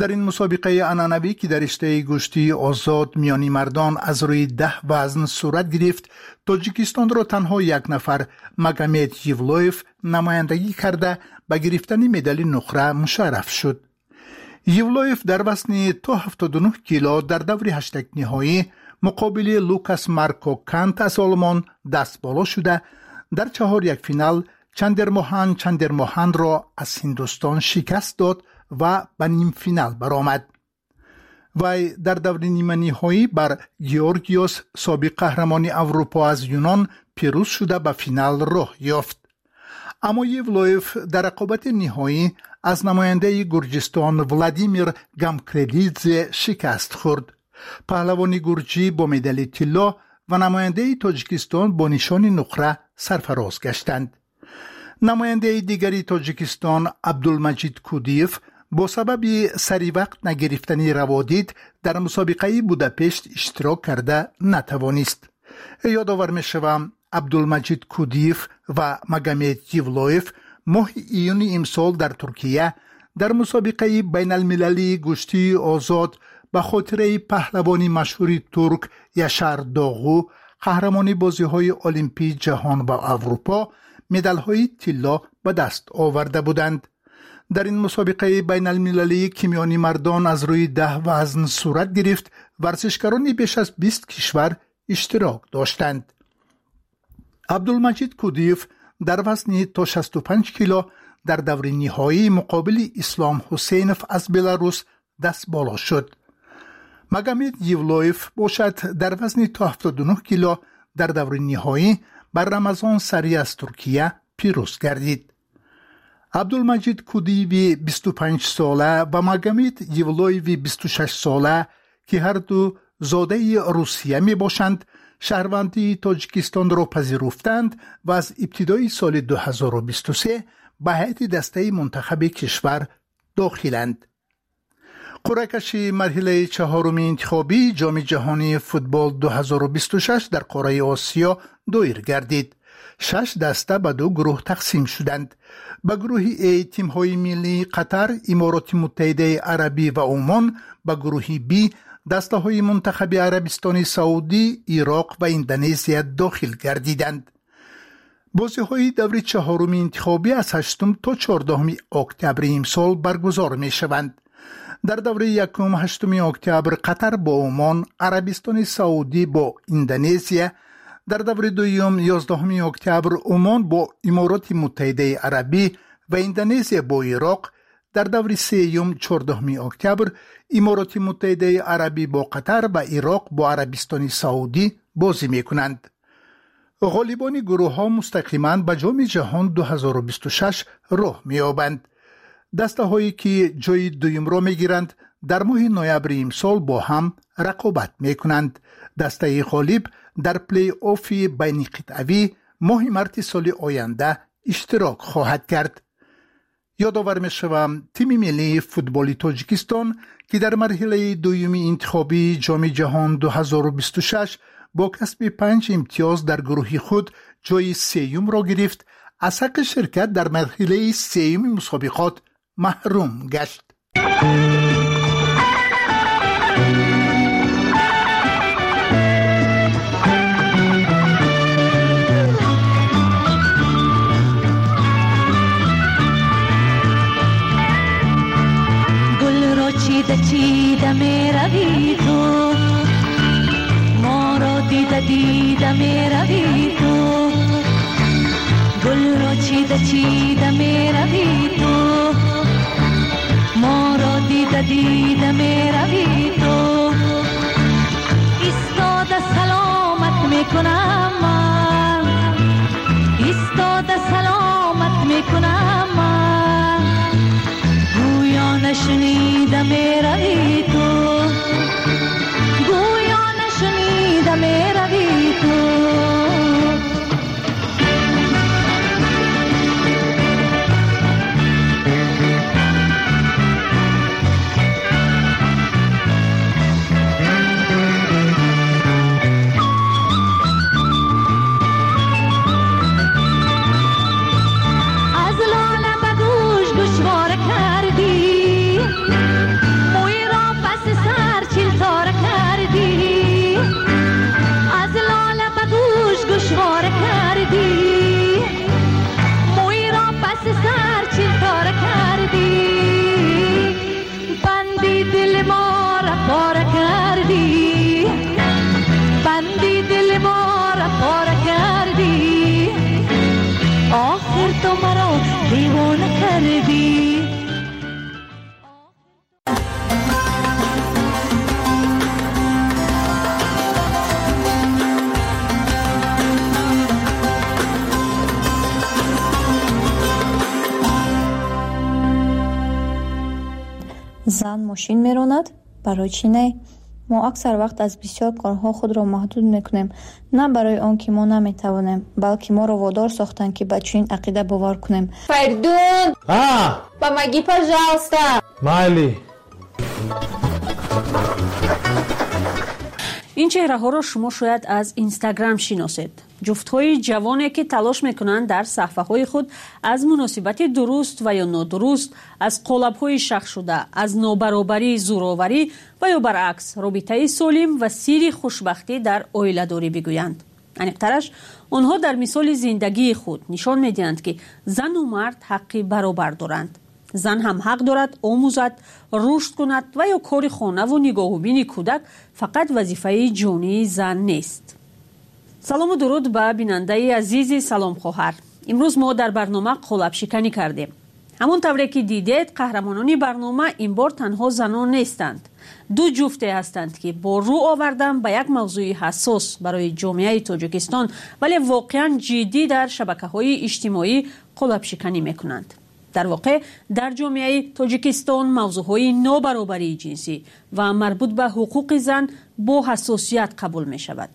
Дар ин мусобиқаи анъанавӣ, ки дар риштаи гӯштии озод миёни мардон аз рӯи даҳ вазн сурат гирифт, Тоҷикистонро танҳо як нафар, Магомед Евлоев, намояндагӣ карда ба гирифтани медали нуқра мушарраф шуд. Евлоев дар вазни то ҳафтоду нӯҳ кило дар даври ҳаштакниҳоӣ муқобили Лукас Марко Кант аз Олмон даст боло шуда, дар чаҳор як финал Чандермоҳан Чандермоҳанро аз Ҳиндустон шикаст дод ва ба нимфинал баромад. Вай дар даври ниманиҳоӣ бар Георгиос, собиқ қаҳрамони Аврупо аз Юнон, пирӯз шуда ба финал роҳ ёфт. Аммо Евлоев дар рақобати ниҳоӣ аз намояндаи Гурҷистон Владимир Гамкрелидзе шикаст хӯрд. Паҳлавони гурҷӣ бо медали тилло ва намояндаи Тоҷикистон бо нишони нуқра сарфароз гаштанд. Намояндаи дигари Тоҷикистон Абдулмаҷид Кудиев бо сабаби саривақт нагирифтани раводид дар мусобиқаи Будапешт иштирок карда натавонист. Ёдовар мешавам, Абдулмаҷид Кудиев ва Магомед Евлоев моҳи июни имсол дар Туркия дар мусобиқаи байналмилалии гӯштии озод ба хотираи паҳлавони машҳури турк Яшар Доғу, қаҳрамони бозиҳои олимпии ҷаҳон ва Аврупо, медалҳои тилло ба даст оварда буданд. Дар ин мусобиқаи байналмилалӣ, ки миёни мардон аз рӯи даҳ вазн сурат гирифт, варзишгарони беш аз бист кишвар иштирок доштанд. Абдулмаҷид Кудиев дар вазни то шасту панҷ кило дар даври ниҳоӣ муқобили Ислом Ҳусейнов аз Беларус даст боло шуд. Магомед Евлоев бошад дар вазни то ҳафтоду нӯҳ кило дар даври ниҳоӣ бар Рамазон Сари аз Туркия пирӯз гардид. Абдулмаҷид Кудиеви бисту панҷ сола ва Магомед Евлоеви бисту шаш сола, ки ҳарду зодаи Русия мебошанд, Шаҳрвандии Тоҷикистонро пазируфтанд ва аз ибтидои соли ду ҳазору бисту се ба ҳайати дастаи мунтахаби кишвар дохиланд. Қуръакаши марҳилаи чаҳоруми интихобии Ҷоми ҷаҳонии футбол ду ҳазору бисту шаш дар қораи Осиё доир гардид. Шаш даста ба ду гурӯҳ тақсим шуданд. Ба гурӯҳи А тимҳои миллии Қатар, Имороти Муттаҳидаи Арабӣ ва Умон, ба гурӯҳи Б дастаҳои мунтахаби Арабистони Саудӣ, Ироқ ва Индонезия дохил гардиданд. Бозиҳои даври чаҳоруми интихобӣ аз ҳаштум то чордаҳуми октябри имсол баргузор мешаванд. Дар давраи якум ҳаштуми октябр Қатар бо Умон, Арабистони Саудӣ бо Индонезия, дар даври дуюм ёздаҳуми октябр Умон бо Имороти Муттаҳидаи Арабӣ ва Индонезия бо Ироқ, дар даври сеюм чордаҳуми октябр Имороти Муттаҳидаи Арабӣ бо Қатар ва Ироқ бо Арабистони Саудӣ бозӣ мекунанд. Ғолибони гурӯҳҳо мустақиман ба Ҷоми ҷаҳон ду ҳазору бисту шаш роҳ меёбанд. Дастаҳое ки ҷои дуюмро мегиранд, дар моҳи ноябри имсол бо ҳам рақобат мекунанд. Дастаи ғолиб дар плей-оффи байниқитъавӣ моҳи марти соли оянда иштирок хоҳад кард. Ёдовар мешавам, тими миллии футболи Тоҷикистон, ки дар марҳилаи дуюми интихобии Ҷоми ҷаҳон ду ҳазору бисту шаш бо касби панҷ имтиёз дар гурӯҳи худ ҷои сеюмро гирифт, аз ҳаққи ширкат дар марҳилаи сеюми мусобиқот маҳрум гашт. Гулро чида чида мерави ту, моро дида дида мерави ту, гулро чида чида мерави ту, моро дида дида мерави ту, истода саломат мекунам ман, истода саломат мекунам ман, гӯё нашнида мерави ту, гӯё нашнида мерави ту. Зан мошин меронад? Барои чӣ не? Мо аксар вақт аз бисёр корҳо худро маҳдуд мекунем, на барои он ки мо наметавонем, балки моро водор сохтанд, ки ба чунин ақида бовар кунем. Фаридун! Помоги, пожалуйста! Майли! Ин чеҳраҳоро шумо шояд аз Инстаграм шиносед. Ҷуфтҳои ҷавоне, ки талош мекунанд дар саҳфаҳои худ аз муносибати дуруст ва ё нодуруст, аз қолабҳои шахшуда, аз нобаробарии зӯроварӣ ва ё баръакс робитаи солим ва сирри хушбахтӣ дар оиладорӣ бигӯянд. Аниқтараш, онҳо дар мисоли зиндагии худ нишон медиҳанд, ки зану мард ҳаққи баробар доранд. Зан ҳам ҳақ дорад омӯзад, рушд кунад ва ё кори хонаву нигоҳубини кӯдак фақат вазифаи ҷонии зан нест. Салому дуруд ба бинандаи азизи Салом хоҳар. Имрӯз мо дар барнома қолабшиканӣ кардем. Ҳамон тавре ки дидед, қаҳрамонони барнома ин бор танҳо занон нестанд. Ду ҷуфте ҳастанд, ки бо рӯ овардан ба як мавзӯи ҳассос барои ҷомеаи Тоҷикистон, вале воқеан ҷиддӣ дар шабакаҳои иҷтимоӣ қолабшиканӣ мекунанд. Дар воқеъ дар ҷомеаи Тоҷикистон мавзӯъҳои нобаробарии ҷинсӣ ва марбут ба ҳуқуқи зан бо ҳассосият қабул мешавад.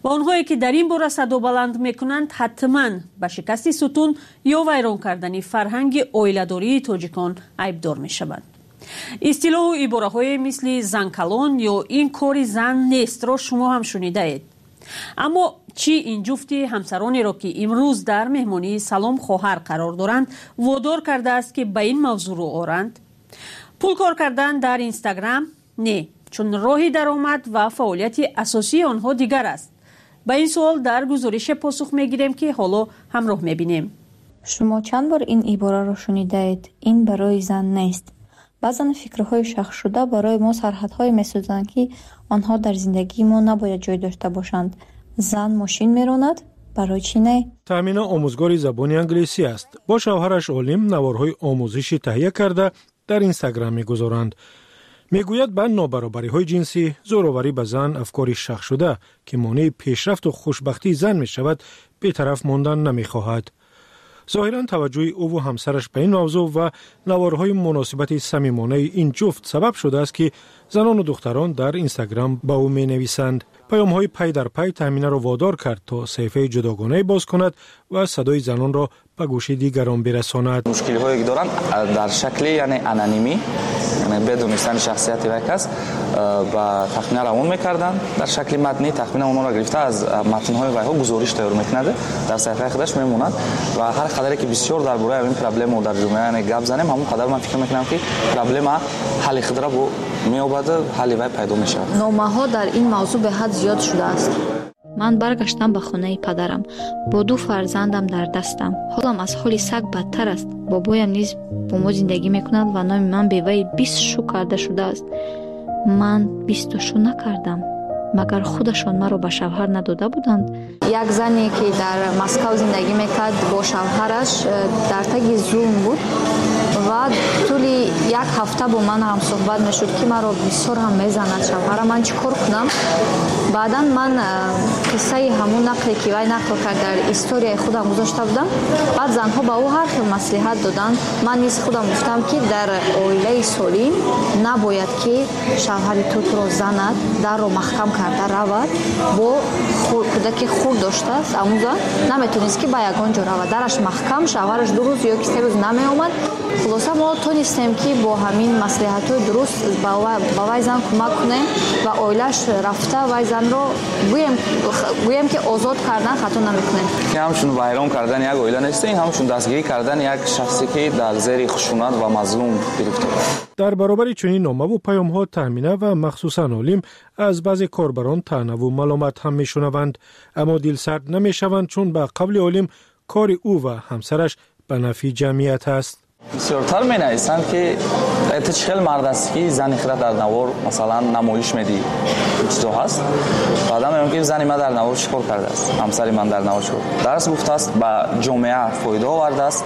Ва онҳое ки дар ин бора садо баланд мекунанд, ҳатман ба шикасти сутун ё вайрон кардани фарҳанги оиладории тоҷикон айбдор мешаванд. Истилоҳу ибораҳое мисли занкалон ё ин кори зан нестро шумо ҳам шунидаед. Аммо чӣ ин ҷуфти ҳамсаронеро, ки имрӯз дар меҳмонии Салом хоҳар қарор доранд, водор кардааст, ки ба ин мавзӯъ рӯ оранд? Пул кор кардан дар Инстаграм? Не, чун роҳи даромад ва фаъолияти асосии онҳо дигар аст. Ба ин суол дар гузорише посух мегирем, ки ҳоло ҳамроҳ мебинем. Шумо чанд бор ин ибораро шунидаед? Ин барои зан нест. Баъзан фикрҳои шахсшуда барои мо сарҳадҳое месозанд, ки онҳо дар зиндагии мо набояд ҷой дошта бошанд. Зан мошин меронад? Барои чӣ не? Таъмина омӯзгори забони англисӣ аст. Бо шавҳараш Олим наворҳои омӯзишӣ таҳия карда дар Инстаграм мегузоранд. Мегӯяд, ба нобаробариҳои ҷинсӣ, зӯроварӣ ба зан, афкори шахсшуда, ки монеи пешрафту хушбахтии зан мешавад, бетараф мондан намехоҳад. Зоҳиран таваҷҷӯҳи ӯву ҳамсараш ба ин мавзӯъ ва наворҳои муносибати самимонаи ин ҷуфт сабаб шудааст, ки занону духтарон дар Инстаграм ба ӯ менависанд. Паёмҳои пай дар пай Таъминаро водор кард, то саҳифаи ҷудогонае боз кунад ва садои занонро ба гӯши дигарон бирасонад. Мушкилиҳое ки доранд дар шакли яъне анонимӣ, яъне бедонистани шахсияти як кас, ба тахмина равон мекарданд. Дар шакли матнӣ тахмина онҳоро гирифта аз матнҳои вайҳо гузориш тайёр мекунад, дар саҳифаи худаш мемонад ва ҳар қадаре ки бисёр дар бораи ин проблема дар ҷомеа яъне гап занем, ҳамон қадар ман фикр мекунам, ки проблема ҳалли худро меёбад, ҳалли вай пайдо мешавад. Номаҳо дар ин мавзӯъ беҳад зиёд шудааст. Ман баргаштам ба хонаи падарам бо ду фарзандам дар дастам. Ҳолам аз ҳоли саг бадтар аст. Бобоям низ бо мо зиндагӣ мекунад ва номи ман беваи бист шу карда шудааст. Ман бисту шу накардам. Магар худашон маро ба шавҳар надода буданд? Як зане, ки дар Москав зиндагӣ мекард, бо шавҳараш дар таги зулм буд ва тӯли як ҳафта бо ман ҳамсӯҳбат мешуд, ки маро бисёр ҳам мезанад шавҳара, ман чӣ кор кунам? Баъдан ман қиссаи ҳамун нақле, ки вай нақл кард, дар историяи худам гузошта будам. Баъд занҳо ба ӯ ҳар хел маслиҳат доданд. Ман низ худам гуфтам, ки дар оилаи солим набояд, ки шавҳари ту туро занад, дарро маҳкам карда равад, бо кӯдаки хурд доштааст. Амун зан наметонист, ки ба ягон ҷо равад, дараш маҳкам, шавҳараш ду рӯз ё ки се рӯз намеомад. Хулоса, мо тонистем, ки бо ҳамин маслиҳатҳои дуруст ба вай зан кӯмак кунем ва оилааш рафта вай занро гӯем, ки озод кардан хато намекунем. Ин ҳамчун вайрон кардани як оила нест, ин ҳамчун дастгирӣ кардани як шахсе, ки дар зери хушунат ва мазлум гирифтор аст. Дар баробари чунин номаву паёмҳо Таъмина ва махсусан Олим аз баъзе корбарон таънаву маломат ҳам мешунаванд, аммо дилсард намешаванд, чун ба қавли Олим кори ӯ ва ҳамсараш ба нафъи ҷамъият аст. Бисёртар менависанд, ки ту чӣ хел мард ҳастӣ, ки зани худро дар навор масалан намоиш медиҳӣ, чизо ҳаст. Баъдан мегӯям, ки зани ман дар навор чӣ кор кардааст, ҳамсари ман дар навор чӣ кор дарс гуфтааст, ба ҷомеа фоида овардааст,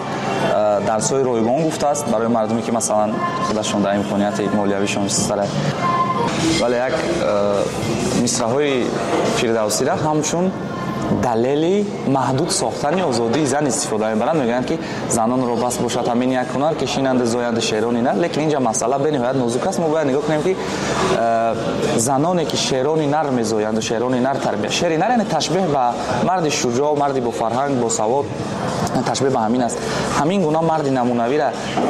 дарсҳои ройгон гуфтааст барои мардуме, ки масалан худашон дар имконияти молиявишон сара. Вале як мисраҳои Фирдавсиро ҳамчун далели маҳдуд сохтани озодии зан истифода мебаранд. Мегӯянд, ки занонро бас бошад ҳамин як ҳунар, ки шинанду зоянду шерони нар. Лекин инҷа масъала бениҳоят нозук аст. Мо бояд нигоҳ кунем, ки заноне, ки шерони нар мезоянду шерони нар тарбия, шери нар яъне ташбеҳ ба марди шуҷоъ, марди бофарҳанг, босавод, ташбеҳ ба ҳамин аст. Ҳамин гуна марди намунавиро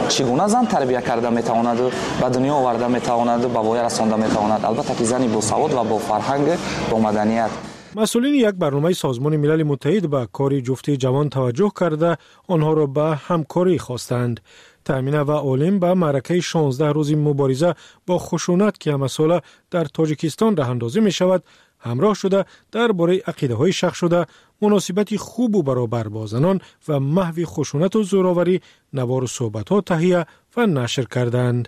чӣ гуна зан тарбия карда метавонаду ба дунё оварда метавонаду ба воя расонда метавонад? Албатта, ки зани босавод ва бофарҳанг, бо маданият. Масъулини як барномаи Созмони Милали Муттаҳид ба кори ҷуфти ҷавон таваҷҷӯҳ карда, онҳоро ба ҳамкорӣ хостанд. Таъмина ва Олим ба маъракаи шонздаҳ рӯзи мубориза бо хушунат, ки ҳамасола дар Тоҷикистон раҳандозӣ мешавад, ҳамроҳ шуда, дар бораи ақидаҳои шахсшуда, муносибати хубу баробар бо занон ва маҳви хушунату зӯроварӣ навору суҳбатҳо таҳия ва нашр карданд.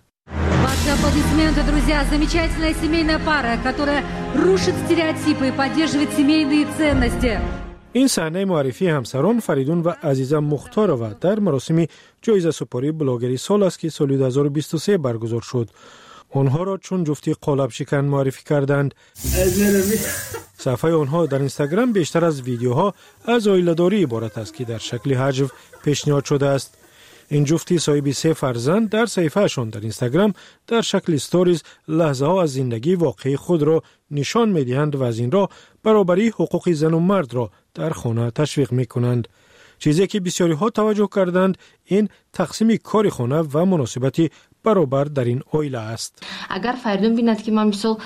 Ваши аплодисменты, друзья. Замечательная семейная пара, которая рушит стереотипы и поддерживает семейные ценности. Ин саҳнаи муаррифии ҳамсарон Фаридун ва Азиза Мухторова дар маросими ҷоизасупории блогери сол аст, ки соли ду ҳазору бисту се баргузор шуд. Онҳоро чун ҷуфти қолабшикан муаррифӣ карданд. Саҳифаи онҳо дар Инстаграм бештар аз видеоҳо аз оиладорӣ иборат аст, ки дар шакли ҳаҷв пешниҳод шудааст. Ин ҷуфти соҳиби се фарзанд дар саҳифаашон дар Инстаграм дар шакли сторис лаҳзаҳо аз зиндагии воқеии худро нишон медиҳанд ва аз ин роҳ баробарии ҳуқуқи зану мардро дар хона ташвиқ мекунанд. Чизе ки бисёриҳо таваҷҷӯҳ карданд, ин тақсими кори хона ва муносибати баробар дар ин оила аст. Агар Фаридун бинад, ки ман мисол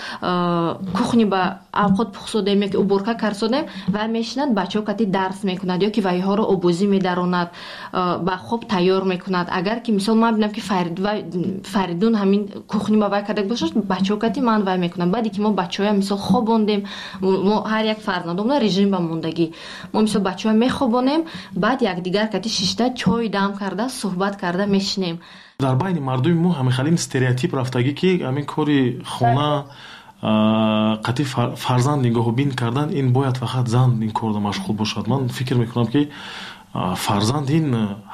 кухни ба авқот пухсодем ё ки уборка карсодем, вай мешинад, бачаҳо кати дарс мекунад ё ки вайҳоро обозӣ медаронад, ба хоб тайёр мекунад. Агар ки мисол ман бинам, ки Фаридун ҳамин кухни ба вай карда бошад, бачаҳо кати ман вай мекунам. Баъде ки мо бачаҳоя мисол хобондем, мо ҳар як фарзандомона режим ба мондагӣ, мо мисол бачаҳоя мехобонем, баъд якдигар кати шишта чой дам карда суҳбат карда мешинем. Дар байни мардуми мо ҳамин стереотип рафтагӣ, ки ҳамин кори хона, қатъи фарзанд нигоҳубин кардан, ин бояд фақат зан ин корда машғул бошад. Ман фикр мекунам, ки фарзанд ин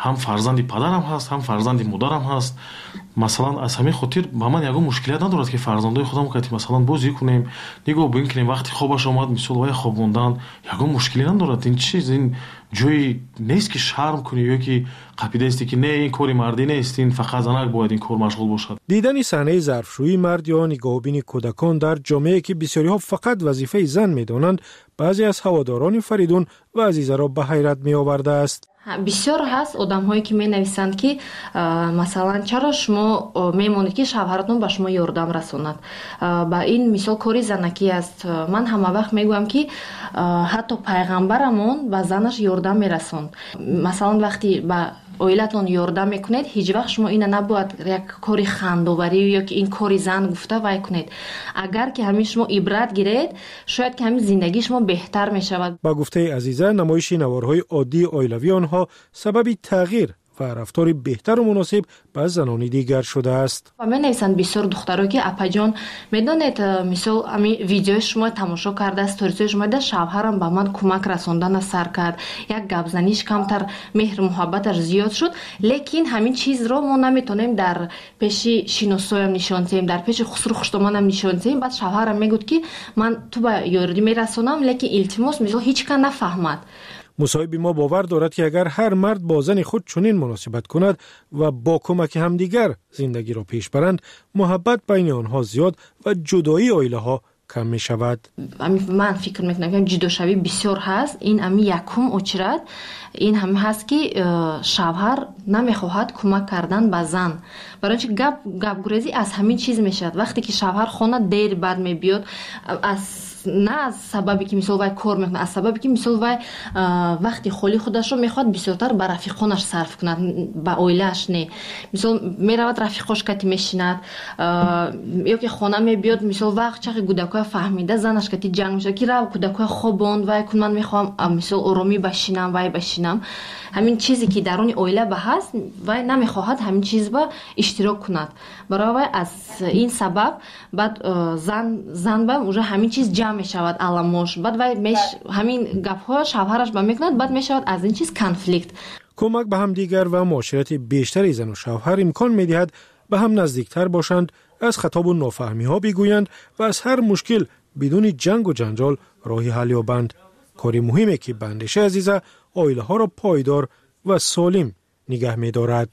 ҳам фарзанди падарам ҳаст, ҳам фарзанди модарам ҳаст. Масалан, аз ҳамин хотир ба ман ягон мушкилият надорад, ки фарзандои худам кати масалан бозӣ кунем, нигоҳубин кунем. Вақти хобаш омад, мисол вай хобондан ягон мушкилӣ надорад. Ин чиз, ин ҷои нест, ки шарм кунӣ ё ки қапидаисти, ки не, ин кори мардӣ нест, ин фақат занак бояд ин кор машғул бошад. Дидани саҳнаи зарфшӯии мард ё нигоҳубини кӯдакон дар ҷомеае, ки бисёриҳо фақат вазифаи зан медонанд, баъзе аз ҳаводорони Фаридун ва Азизаро ба ҳайрат меовардааст. Бисёр ҳаст одамҳое, ки менависанд, ки масалан, чаро шумо мемонед, ки шавҳаратон ба шумо ёрдам расонад, ба ин мисол кори занакӣ аст. Ман ҳама вақт мегӯям, ки ҳатто пайғамбарамон ба занаш ёрдам мерасонд. Масалан, вақте ба оилатон ёрдам мекунед, ҳеҷ вақт шумо ина набояд як кори хандоварӣ ё ки ин кори зан гуфта вай кунед. Агар ки ҳамин шумо ибрат гиред, шояд ки ҳамин зиндагии шумо беҳтар мешавад. Ба гуфтаи Азиза, намоиши наворҳои оддии оилавии онҳо сабаби тағйир ва рафтори беҳтару муносиб ба занони дигар шудааст. Ва менависанд бисёр духтаро, ки апаҷон, медонед, мисол ами видеои шумо тамошо карда, сторисҳои шумо дида, шавҳарам ба ман кӯмак расондана сар кард, як гапзаниш камтар, меҳру муҳаббаташ зиёд шуд. Лекин ҳамин чизро мо наметонем дар пеши шиносоям нишон диҳем, дар пеши хусру хуштоманам нишон диҳем. Баъд шавҳарам мегӯд, ки ман ту ба ёрӣ мерасонам, лекин илтимос, мисол ҳеҷ кас нафаҳмад. Мусоҳиби мо бовар дорад, ки агар ҳар мард бо зани худ чунин муносибат кунад ва бо кӯмаки ҳамдигар зиндагиро пеш баранд, муҳаббат байни онҳо зиёд ва ҷудоии оилаҳо кам мешавад. Ман фикр мекунам, ки ҷудошавӣ бисёр ҳаст. Ин ами якум очират ин ҳами ҳаст, ки шавҳар намехоҳад кӯмак кардан ба зан. Барои чи гап гапгурезӣ аз ҳамин чиз мешавад. Вақте ки шавҳар хона дер бад мебиёд, аз на аз сабабе ки мисол вай кор мекунад, аз сабабе ки мисол вай вақти холи худашро мехоҳад бисёртар ба рафиқонаш сарф кунад, ба оилааш не. Мисол меравад, рафиқош кати мешинад, ё ки хона мебиёд, мисол вақт чақи кӯдакоя фаҳмида занаш кати ҷанг мешавад, ки рав кӯдакоя хобонд, вай кун, ман мехоҳам мисол оромӣ башинам, вай башинам. Ҳамин чизе ки даруни оила ба ҳаст, вай намехоҳад ҳамин чиз ба иштирок кунад. Барои вай аз ин сабаб баъд зан зан ба уже ҳамин чиз ҷамъ мешавад аламош. Баъд вай ҳамин гапҳо шавҳараш ба мекунад, баъд мешавад аз ин чиз конфликт. Кӯмак ба ҳамдигар ва муоширати бештари зану шавҳар имкон медиҳад ба ҳам наздиктар бошанд, аз хатобу нофаҳмиҳо бигӯянд ва аз ҳар мушкил бидуни ҷангу ҷанҷол роҳи ҳал ёбанд. Кори муҳиме, ки ба андешаи Азиза оилаҳоро пойдор ва солим нигаҳ медорад.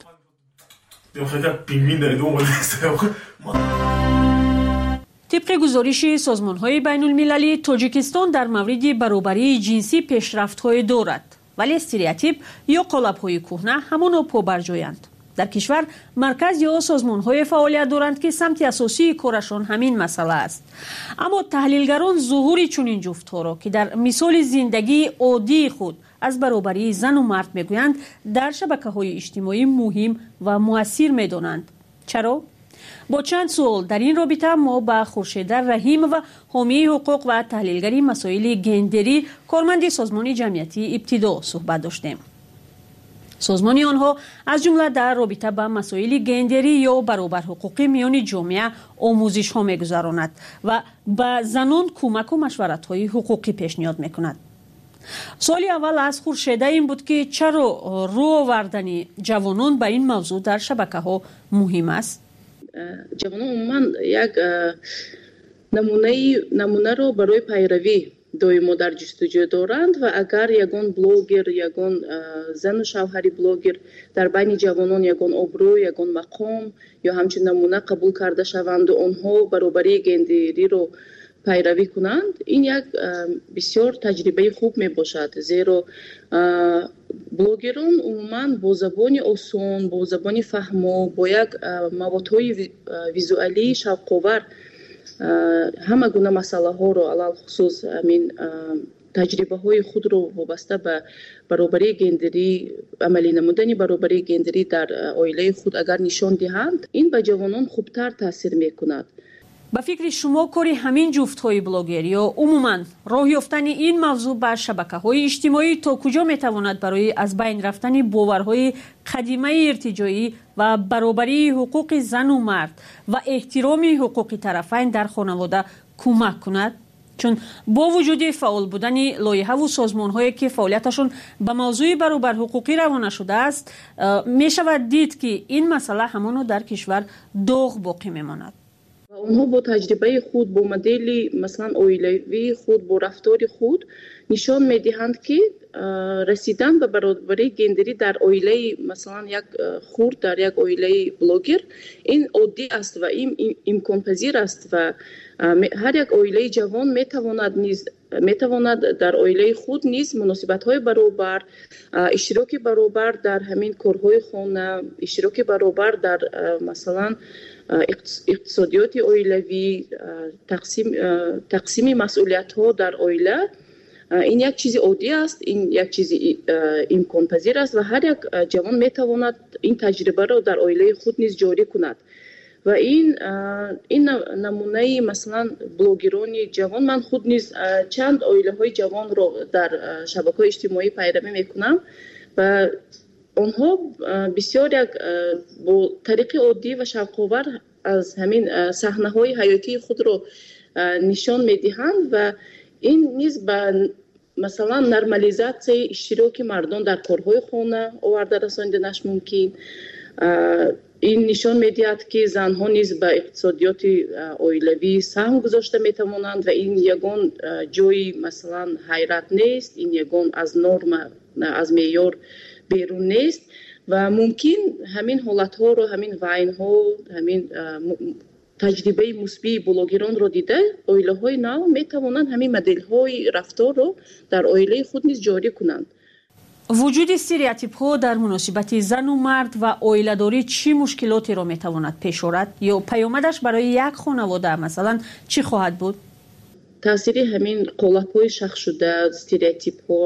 Тибқи гузориши созмонҳои байнулмилалӣ, Тоҷикистон дар мавриди баробарии ҷинсӣ пешрафтҳое дорад, вале стереотип ё қолабҳои кӯҳна ҳамоно побарҷоянд. Дар кишвар марказ ё созмонҳое фаъолият доранд, ки самти асосии корашон ҳамин масъала аст. Аммо таҳлилгарон зуҳури чунин ҷуфтҳоро, ки дар мисоли зиндагии оддии худ аз баробарии зану мард мегӯянд, дар шабакаҳои иҷтимоӣ муҳим ва муассир медонанд. Чаро? Бо чанд суол дар ин робита мо ба Хуршеда Раҳимова, ҳомии ҳуқуқ ва таҳлилгари масоили гендерӣ, корманди созмони ҷамъиятии Ибтидо суҳбат доштем. Созмони онҳо аз ҷумла дар робита ба масоили гендерӣ ё баробарҳуқуқӣ миёни ҷомеа омӯзишҳо мегузаронад ва ба занон кӯмаку машваратҳои ҳуқуқӣ пешниҳод мекунад. Суоли аввал аз Хуршеда ин буд, ки чаро рӯ овардани ҷавонон ба ин мавзӯъ дар шабакаҳо муҳим аст? Ҷавонон умуман як намунаи намунаро барои пайравӣ Доимо дар ҷустуҷӯ доранд ва агар ягон блогер, ягон зану шавҳари блогер дар байни ҷавонон ягон обрӯ, ягон мақом ё ҳамчун намуна қабул карда шаванду онҳо баробарии гендериро пайравӣ кунанд, ин як бисёр таҷрибаи хуб мебошад, зеро блогерон умуман бо забони осон, бо забони фаҳмо, бо як маводҳои визуалии шавқовар ҳама гуна масъалаҳоро, алалхусус ҳамин таҷрибаҳои худро вобаста ба баробарии гендерӣ, амалӣ намудани баробарии гендерӣ дар оилаи худ агар нишон диҳанд, ин ба ҷавонон хубтар таъсир мекунад. Ба фикри шумо кори ҳамин ҷуфтҳои блогер ё умуман роҳ ёфтани ин мавзӯъ ба шабакаҳои иҷтимоӣ то куҷо метавонад барои аз байн рафтани боварҳои қадимаи иртиҷоӣ ва баробарии ҳуқуқи зану мард ва эҳтироми ҳуқуқи тарафайн дар хонавода кӯмак кунад? Чун бо вуҷуди фаъол будани лоиҳаву созмонҳое ки фаъолияташон ба мавзӯи баробарҳуқуқӣ равона шудааст, мешавад дид ки ин масъала ҳамоно дар кишвар доғ боқӣ мемонад. Онҳо бо таҷрибаи худ, бо модели масалан оилавии худ, бо рафтори худ нишон медиҳанд, ки расидан ба баробарии гендерӣ дар оилаи масалан як хурд, дар як оилаи блогер ин оддӣ аст ва ин имконпазир аст ва ҳар як оилаи ҷавон метавонад низ метавонад дар оилаи худ низ муносибатҳои баробар, иштироки баробар дар ҳамин корҳои хона, иштироки баробар дар масалан иқтисодиёти оилавӣ, тақсими масъулиятҳо дар оила ин як чизи оддӣ аст, ин як чизи имконпазир аст ва ҳар як ҷавон метавонад ин таҷрибаро дар оилаи худ низ ҷорӣ кунад. Ва ин ин намунаи масалан блогерони ҷавон, ман худ низ чанд оилаҳои ҷавонро дар шабакаҳои иҷтимоӣ пайравӣ мекунам ва онҳо бисёр як бо тариқи оддӣ ва шавқовар аз ҳамин саҳнаҳои ҳаётии худро нишон медиҳанд ва ин низ ба масалан нормализатсияи иштироки мардон дар корҳои хона оварда расониданаш мумкин. Ин нишон медиҳад, ки занҳо низ ба иқтисодиёти оилавӣ саҳм гузошта метавонанд ва ин ягон ҷои масалан ҳайрат нест, ин ягон аз норма, аз меъёр берун нест ва мумкин ҳамин ҳолатҳоро, ҳамин вайнҳо, ҳамин таҷрибаи мусбии блогеронро дида оилаҳои нав метавонанд ҳамин моделҳои рафторро дар оилаи худ низ ҷорӣ кунанд. Вуҷуди стереотипҳо дар муносибати зану мард ва оиладорӣ чӣ мушкилотеро метавонад пеш орад ё паёмадаш барои як хонавода масалан чӣ хоҳад буд? Таъсири ҳамин қолабҳои шахсшуда, стереотипҳо,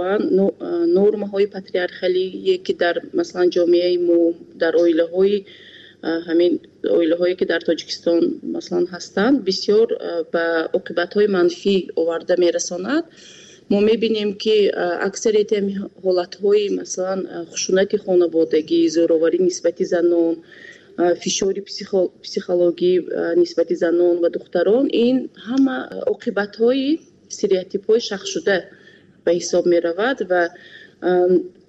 нормаҳои патриархалие ки дар масалан ҷомеаи мо, дар оилаҳои ҳамин оилаҳое ки дар Тоҷикистон масалан ҳастанд, бисёр ба оқибатҳои манфӣ оварда мерасонад. Мо мебинем, ки аксарияти ҳолатҳои масалан хушунати хонаводагӣ, зӯроварӣ нисбати занон, фишори психологӣ нисбати занон ва духтарон, ин ҳама оқибатҳои стереотипҳои шахсшуда ба ҳисоб меравад ва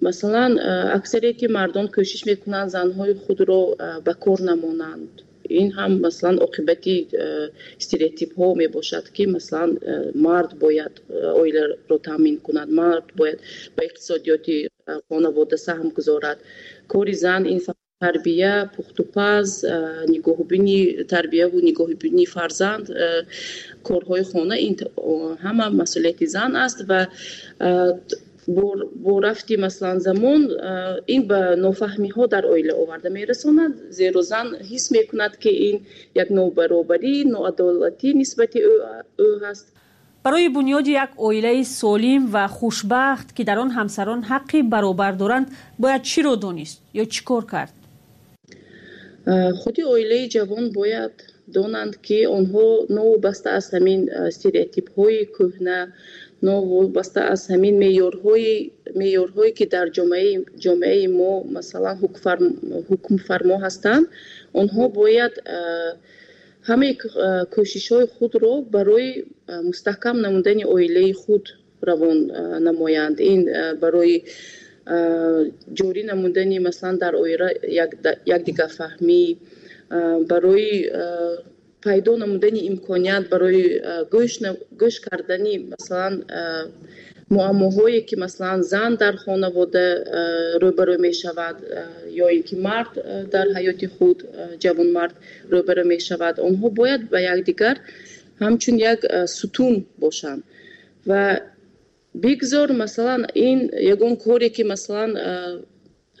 масалан аксарияти мардон кӯшиш мекунанд занҳои худро ба кор намонанд. Ин ҳам масалан оқибати стереотипҳо мебошад, ки масалан мард бояд оиларо таъмин кунад, мард бояд ба иқтисодиёти хонавода саҳм гузорад. Кори зан ин тарбия, пухтупаз, нигоҳубини тарбияву нигоҳубини фарзанд, корҳои хона, ин ҳама масъулияти зан аст ва бо рафти масалан замон ин ба нофаҳмиҳо дар оила оварда мерасонад, зеро зан ҳис мекунад, ки ин як нобаробарӣ, ноадолатӣ нисбати ӯ ҳаст. Барои бунёди як оилаи солим ва хушбахт, ки дар он ҳамсарон ҳаққи баробар доранд, бояд чиро донист ё чӣ кор кард? Худи оилаи ҷавон бояд донанд, ки онҳо новобаста аз ҳамин стереотипҳои кӯҳна, новобаста аз ҳамин меъёрҳои меъёрҳое ки дар ҷомеаи ҷомеаи мо масалан ҳукмфармо ҳастанд, онҳо бояд ҳамаи кӯшишҳои худро барои мустаҳкам намудани оилаи худ равон намоянд. Ин барои ҷорӣ намудани масалан дар оила якдигарфаҳмӣ, барои пайдо намудани имконият барои гӯш кардани масалан муаммоҳое ки масалан зан дар хонавода рӯбарӯ мешавад ё ин ки мард дар ҳаёти худ ҷавонмард рӯбарӯ мешавад, онҳо бояд ба якдигар ҳамчун як сутун бошанд ва бигзор масалан ин ягон коре ки масалан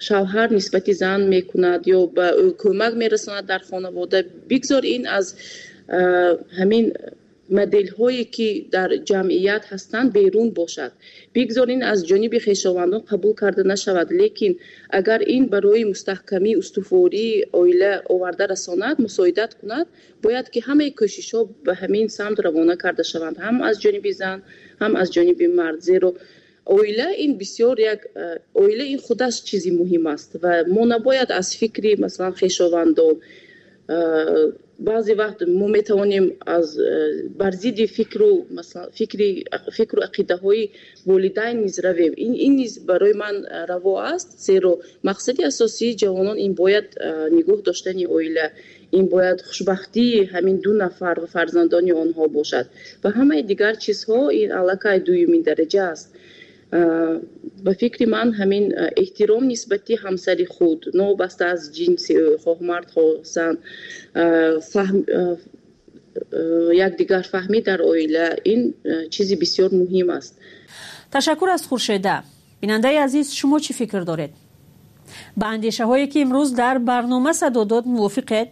шавҳар нисбати зан мекунад ё ба ӯ кӯмак мерасонад дар хонавода, бигзор ин аз ҳамин моделҳое ки дар ҷамъият ҳастанд берун бошад, бигзор ин аз ҷониби хешовандон қабул карда нашавад, лекин агар ин барои мустаҳкамии устувории оила оварда расонад, мусоидат кунад, бояд ки ҳамаи кӯшишҳо ба ҳамин самт равона карда шаванд, ҳам аз ҷониби зан, ҳам аз ҷониби мард, зеро оила ин бисёр як оила ин худаш чизи муҳим аст ва мо набояд аз фикри масалан хешовандон баъзе вақт мо метавонем аз бар зидди фикру масалан фикри фикру ақидаҳои волидайн низ равем. Ин ин низ барои ман раво аст, зеро мақсади асосии ҷавонон ин бояд нигоҳ доштани оила, ин бояд хушбахтии ҳамин ду нафар ва фарзандони онҳо бошад ва ҳамаи дигар чизҳо ин аллакай дуюмин дараҷа аст. Ба фикри ман ҳамин эҳтиром нисбати ҳамсари худ, новобаста аз ҷинси ӯ, хоҳ мард хоҳ зан, якдигарфаҳмӣ дар оила ин чизи бисёр муҳим аст. Ташаккур аз Хуршеда. Бинандаи азиз, шумо чӣ фикр доред? Ба андешаҳое ки имрӯз дар барнома садо дод мувофиқед?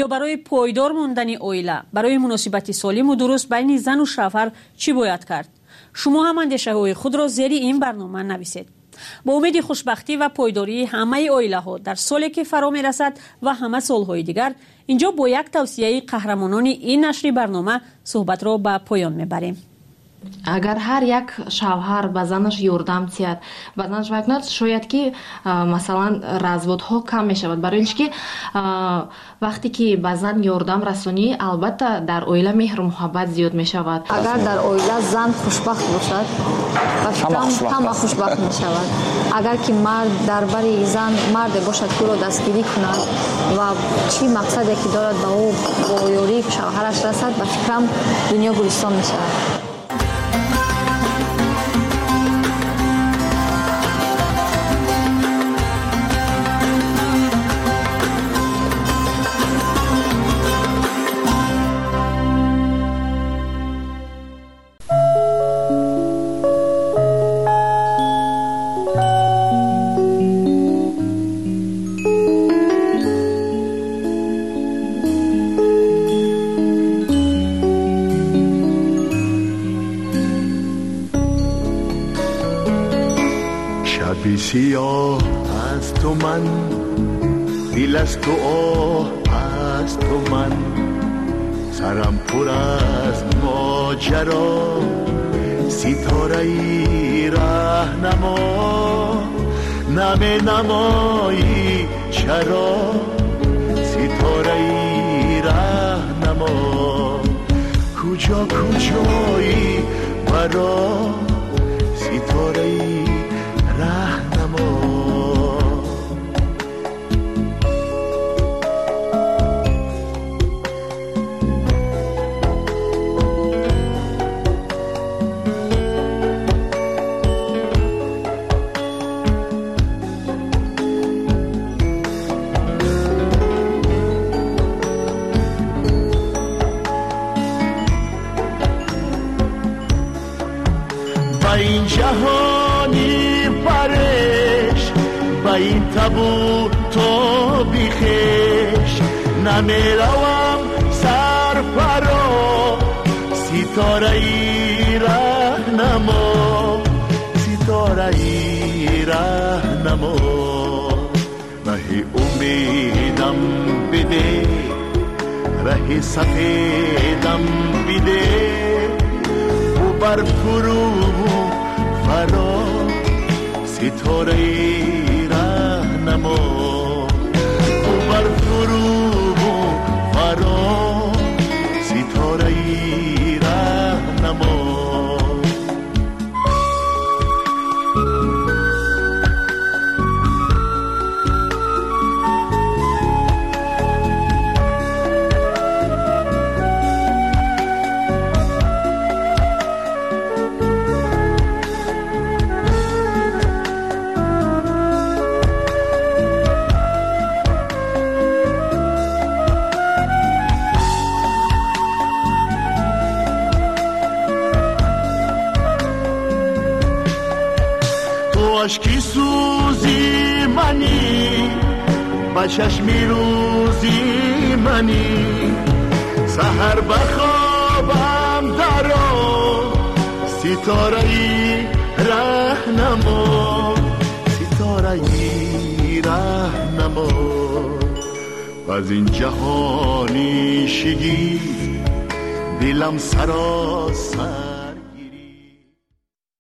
Ё барои пойдор мондани оила, барои муносибати солиму дуруст байни зану шавҳар чӣ бояд кард? Шумо ҳам андешаҳои худро зери ин барнома нависед. Бо умеди хушбахтӣ ва пойдории ҳамаи оилаҳо дар соле ки фаро мерасад ва ҳама солҳои дигар, инҷо бо як тавсияи қаҳрамонони ин нашри барнома суҳбатро ба поён мебарем. Агар ҳар як шавҳар ба занаш ёрдам диҳад, ба занаш вай кунад, шояд ки масалан разводҳо кам мешавад. Барои ин ки вақте ки ба зан ёрдам расонӣ, албатта дар оила меҳру муҳаббат зиёд мешавад. Агар дар оила зан хушбахт бошад, ба фикрам ҳама хушбахт мешавад. Агар ки мард дар бари зан марде бошад ки ӯро дастгирӣ кунад ва чӣ мақсаде ки дорад ба ӯ бо ёрии шавҳараш расад, ба фикрам дунё гулистон мешавад. سیاه از تو من، دل از تو آه از تو من، سرم پر از ماجرا، ستاره‌ای رهنما نمی نمایی چرا، ستاره‌ای رهنما کجا کجایی برا، ستاره‌ای رهنما. با این جهانی فرش، با این تبو تو بیخش، نمیروم سر فرا، ستاره‌ای رهنما، ستاره‌ای رهنما، ره امیدم بده، ره سفیدم بده، و بر فرو فرا، ستاره‌ای رهنما، و بر فرو فرا، ستاره‌ای رهنما. ашки сӯзи манӣ, ба чашми рӯзи манӣ. Саҳар ба хобам даро, ситораи раҳнамо, ситораи раҳнамо. Аз ин ҷаҳони шигифт дилам саросар